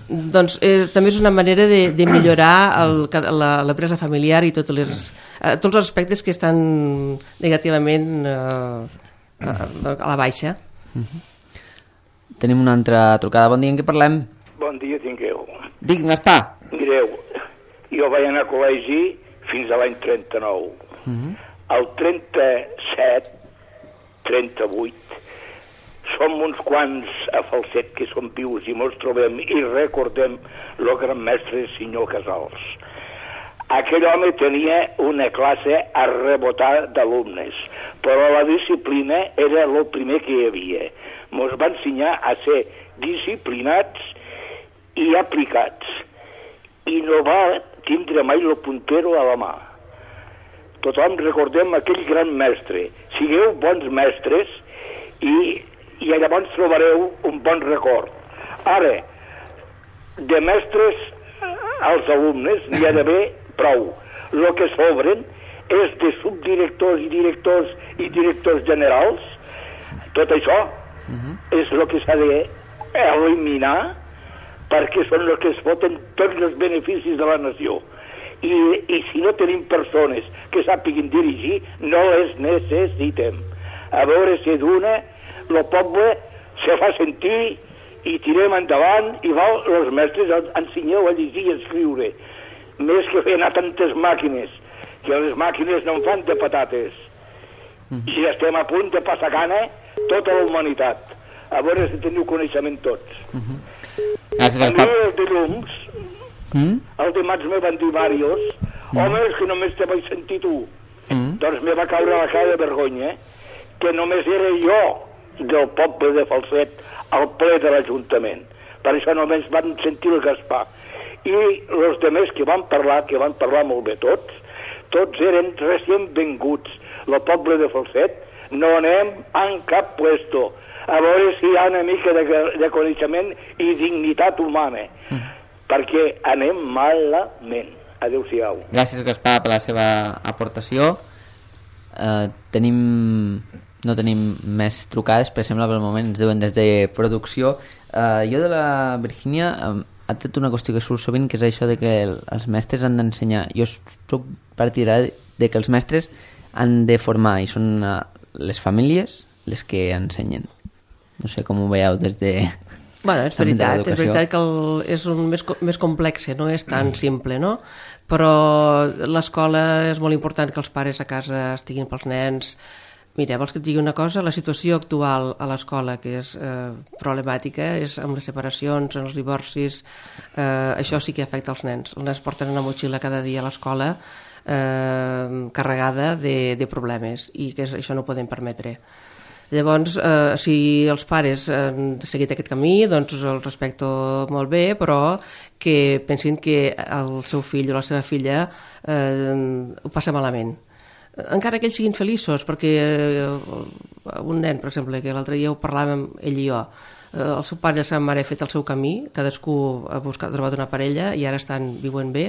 Doncs eh, també és una manera de, de millorar el, la, la presa familiar i tots, les, eh, tots els aspectes que estan negativament... Eh, a la baixa. Uh-huh. Tenim una altra trucada. Bon dia, en què parlem? Bon dia, tingueu. Dic, Gaspar. Mireu, jo vaig anar a col·legi fins a l'any trenta-nou. Uh-huh. El trenta-set, trenta-vuit, som uns quants a Falset que som vius i mos trobem i recordem el gran mestre senyor Casals. Aquell home tenia una classe a rebotar d'alumnes, però la disciplina era el primer que hi havia. Ens va ensenyar a ser disciplinats i aplicats, i no va tindre mai el puntero a la mà. Tothom recordem aquell gran mestre. Sigueu bons mestres i, i llavors trobareu un bon record. Ara, de mestres als alumnes n'hi ha d'haver prou. El que sobren és de subdirectors i directors i directors generals. Tot això uh-huh. és el que s'ha d'eliminar, perquè són els que es foten tots els beneficis de la nació. I, i si no tenim persones que sàpiguin dirigir, no les necessitem. A veure si d'una el poble se fa sentir i tirem endavant i val, els mestres ensenyeu a llegir i a escriure, més que fer anar tantes màquines, que les màquines no en fan de patates. Mm. I estem a punt de passar gana tota la humanitat. A veure si teniu coneixement tots. Mm-hmm. A mi el de llums, mm? el de mats me van dir Màrios, mm. home, és que només te vaig sentir tu. Mm. Doncs me va caure la cara de vergonya, que només era jo del poble de Falset al ple de l'Ajuntament. Per això només van sentir el Gaspar. I els demés que van parlar, que van parlar molt bé tots, tots eren recient venguts. El poble de Falset no anem en cap puesto. A veure si hi ha una mica de, de coneixement i dignitat humana. Mm. Perquè anem malament. Adéu-siau. Gràcies, Gaspar, per la seva aportació. Uh, tenim... No tenim més trucades, per exemple, pel moment ens diuen des de producció. Uh, jo de la Virgínia um, ha tret una qüestió que surt sovint, que és això de que el, els mestres han d'ensenyar. Jo soc partidari de que els mestres han de formar, i són uh, les famílies les que ensenyen. No sé com ho veieu des de... Bueno, és veritat, és veritat que el, és un més, més complex, no és tan simple, no? Però l'escola és molt important que els pares a casa estiguin pels nens. Mira, vols que et digui una cosa? La situació actual a l'escola, que és eh, problemàtica, és amb les separacions, amb els divorcis, eh, això sí que afecta els nens. Els nens porten una motxilla cada dia a l'escola eh, carregada de, de problemes, i que això no ho podem permetre. Llavors, eh, si els pares han seguit aquest camí, doncs el respecto molt bé, però que pensin que el seu fill o la seva filla eh, ho passa malament. Encara que ells siguin feliços, perquè eh, un nen, per exemple, que l'altre dia ho parlàvem ell i jo, eh, el seu pare i la seva mare ha fet el seu camí, cadascú ha buscat, ha trobat una parella i ara estan viuen bé,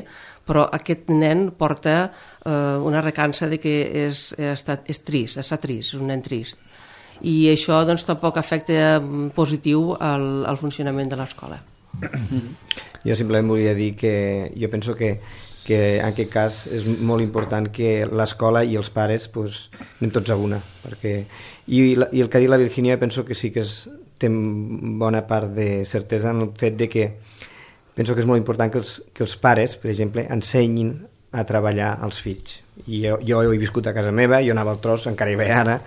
però aquest nen porta eh, una recança de que és, és, és trist, està trist, és un nen trist. I això doncs, tampoc afecta positiu al, al funcionament de l'escola. Jo simplement volia dir que jo penso que que en aquest cas és molt important que l'escola i els pares pues, anem tots a una. Perquè... I, I el que ha dit la Virgínia penso que sí que és, té bona part de certesa en el fet de que penso que és molt important que els, que els pares, per exemple, ensenyin a treballar als fills. I jo, jo he viscut a casa meva, jo anava al tros, encara hi vaig ara,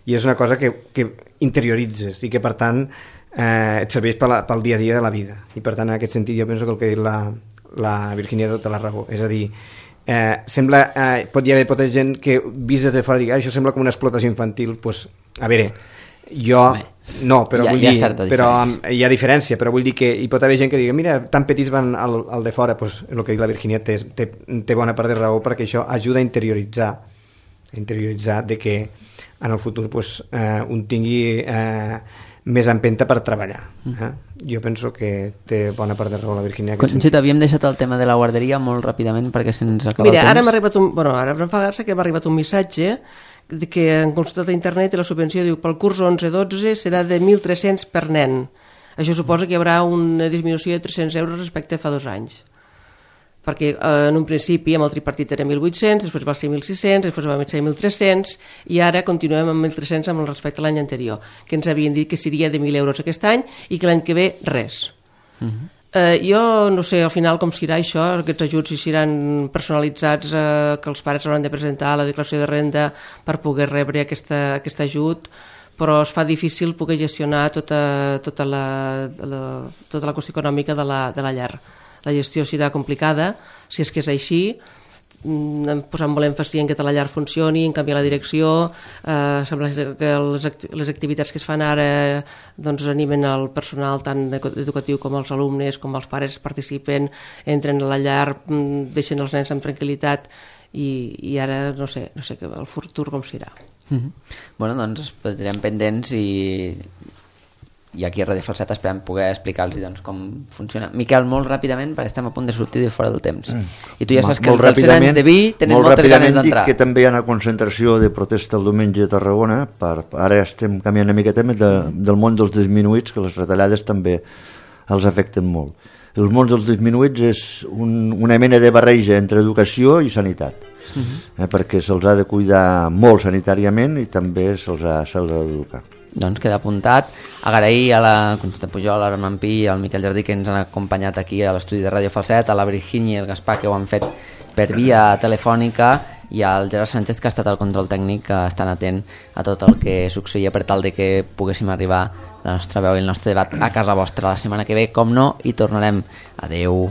i és una cosa que, que interioritzes i que per tant eh, et serveix pel, pel dia a dia de la vida. I per tant en aquest sentit jo penso que el que ha dit la la Virgínia tota la raó, és a dir eh, sembla, eh, pot hi haver pot hi gent que vist des de fora digui, ah, això sembla com una explotació infantil, doncs, a veure jo, Bé, no, però hi ha, vull hi ha dir però hi ha diferència, però vull dir que hi pot haver gent que digui, mira, tan petits van al, al de fora, doncs el que diu la Virgínia té, té, té bona part de raó, perquè això ajuda a interioritzar a interioritzar de que en el futur doncs, eh, un tingui eh, més empenta per treballar. Eh? Jo penso que té bona part de raó la Virgínia. Conxita, havíem deixat el tema de la guarderia molt ràpidament perquè se'ns acaba Mira, el temps. Ara m'ha arribat un, bueno, ara em fa gràcia que m'ha arribat un missatge que han consultat a internet i la subvenció diu pel curs onze dotze serà de mil tres-cents per nen. Això suposa que hi haurà una disminució de tres-cents euros respecte a fa dos anys. Perquè eh, en un principi amb el tripartit era mil vuit-cents, després va ser mil sis-cents, després va ser mil tres-cents i ara continuem amb mil tres-cents amb el respecte a l'any anterior, que ens havien dit que seria de mil euros aquest any i que l'any que ve res. Uh-huh. eh, jo no sé al final com serà això, aquests ajuts si seran personalitzats, eh, que els pares hauran de presentar la declaració de renda per poder rebre aquesta, aquest ajut, però es fa difícil poder gestionar tota, tota, la, la, tota la qüestió econòmica de la, de la llar. La gestió serà complicada, si és que és així, posant molt èmfasi en que la llar funcioni, en canviar la direcció, eh, sembla que les, act les activitats que es fan ara doncs, animen el personal tant educatiu com els alumnes, com els pares participen, entren a la llar, deixen els nens amb tranquil·litat i, i ara no sé, no sé el futur com serà. Mm-hmm. Bueno, doncs ens quedarem pendents i i aquí a Ràdio Falset esperem poder explicar-los doncs, com funciona. Miquel, molt ràpidament, perquè estem a punt de sortir de fora del temps. I tu ja saps que els dels Serens de Vi tenen moltes ganes d'entrar. Molt ràpidament dic que també hi ha una concentració de protesta el diumenge a Tarragona, per, ara estem canviant una miqueta més de, del món dels disminuïts, que les retallades també els afecten molt. El món dels disminuïts és un, una mena de barreja entre educació i sanitat, uh-huh. eh, perquè se'ls ha de cuidar molt sanitàriament i també se'ls ha, se'ls ha d'educar. Doncs queda apuntat. Agrair a la Conxita Pujol, a l'Armand Pi i al Miquel Jardí que ens han acompanyat aquí a l'estudi de Ràdio Falset, a la Virginia i el Gaspar que ho han fet per via telefònica i al Gerard Sánchez que ha estat al control tècnic, que estan atent a tot el que succeïa per tal de que poguéssim arribar la nostra veu i el nostre debat a casa vostra la setmana que ve, com no, i tornarem. Adeu.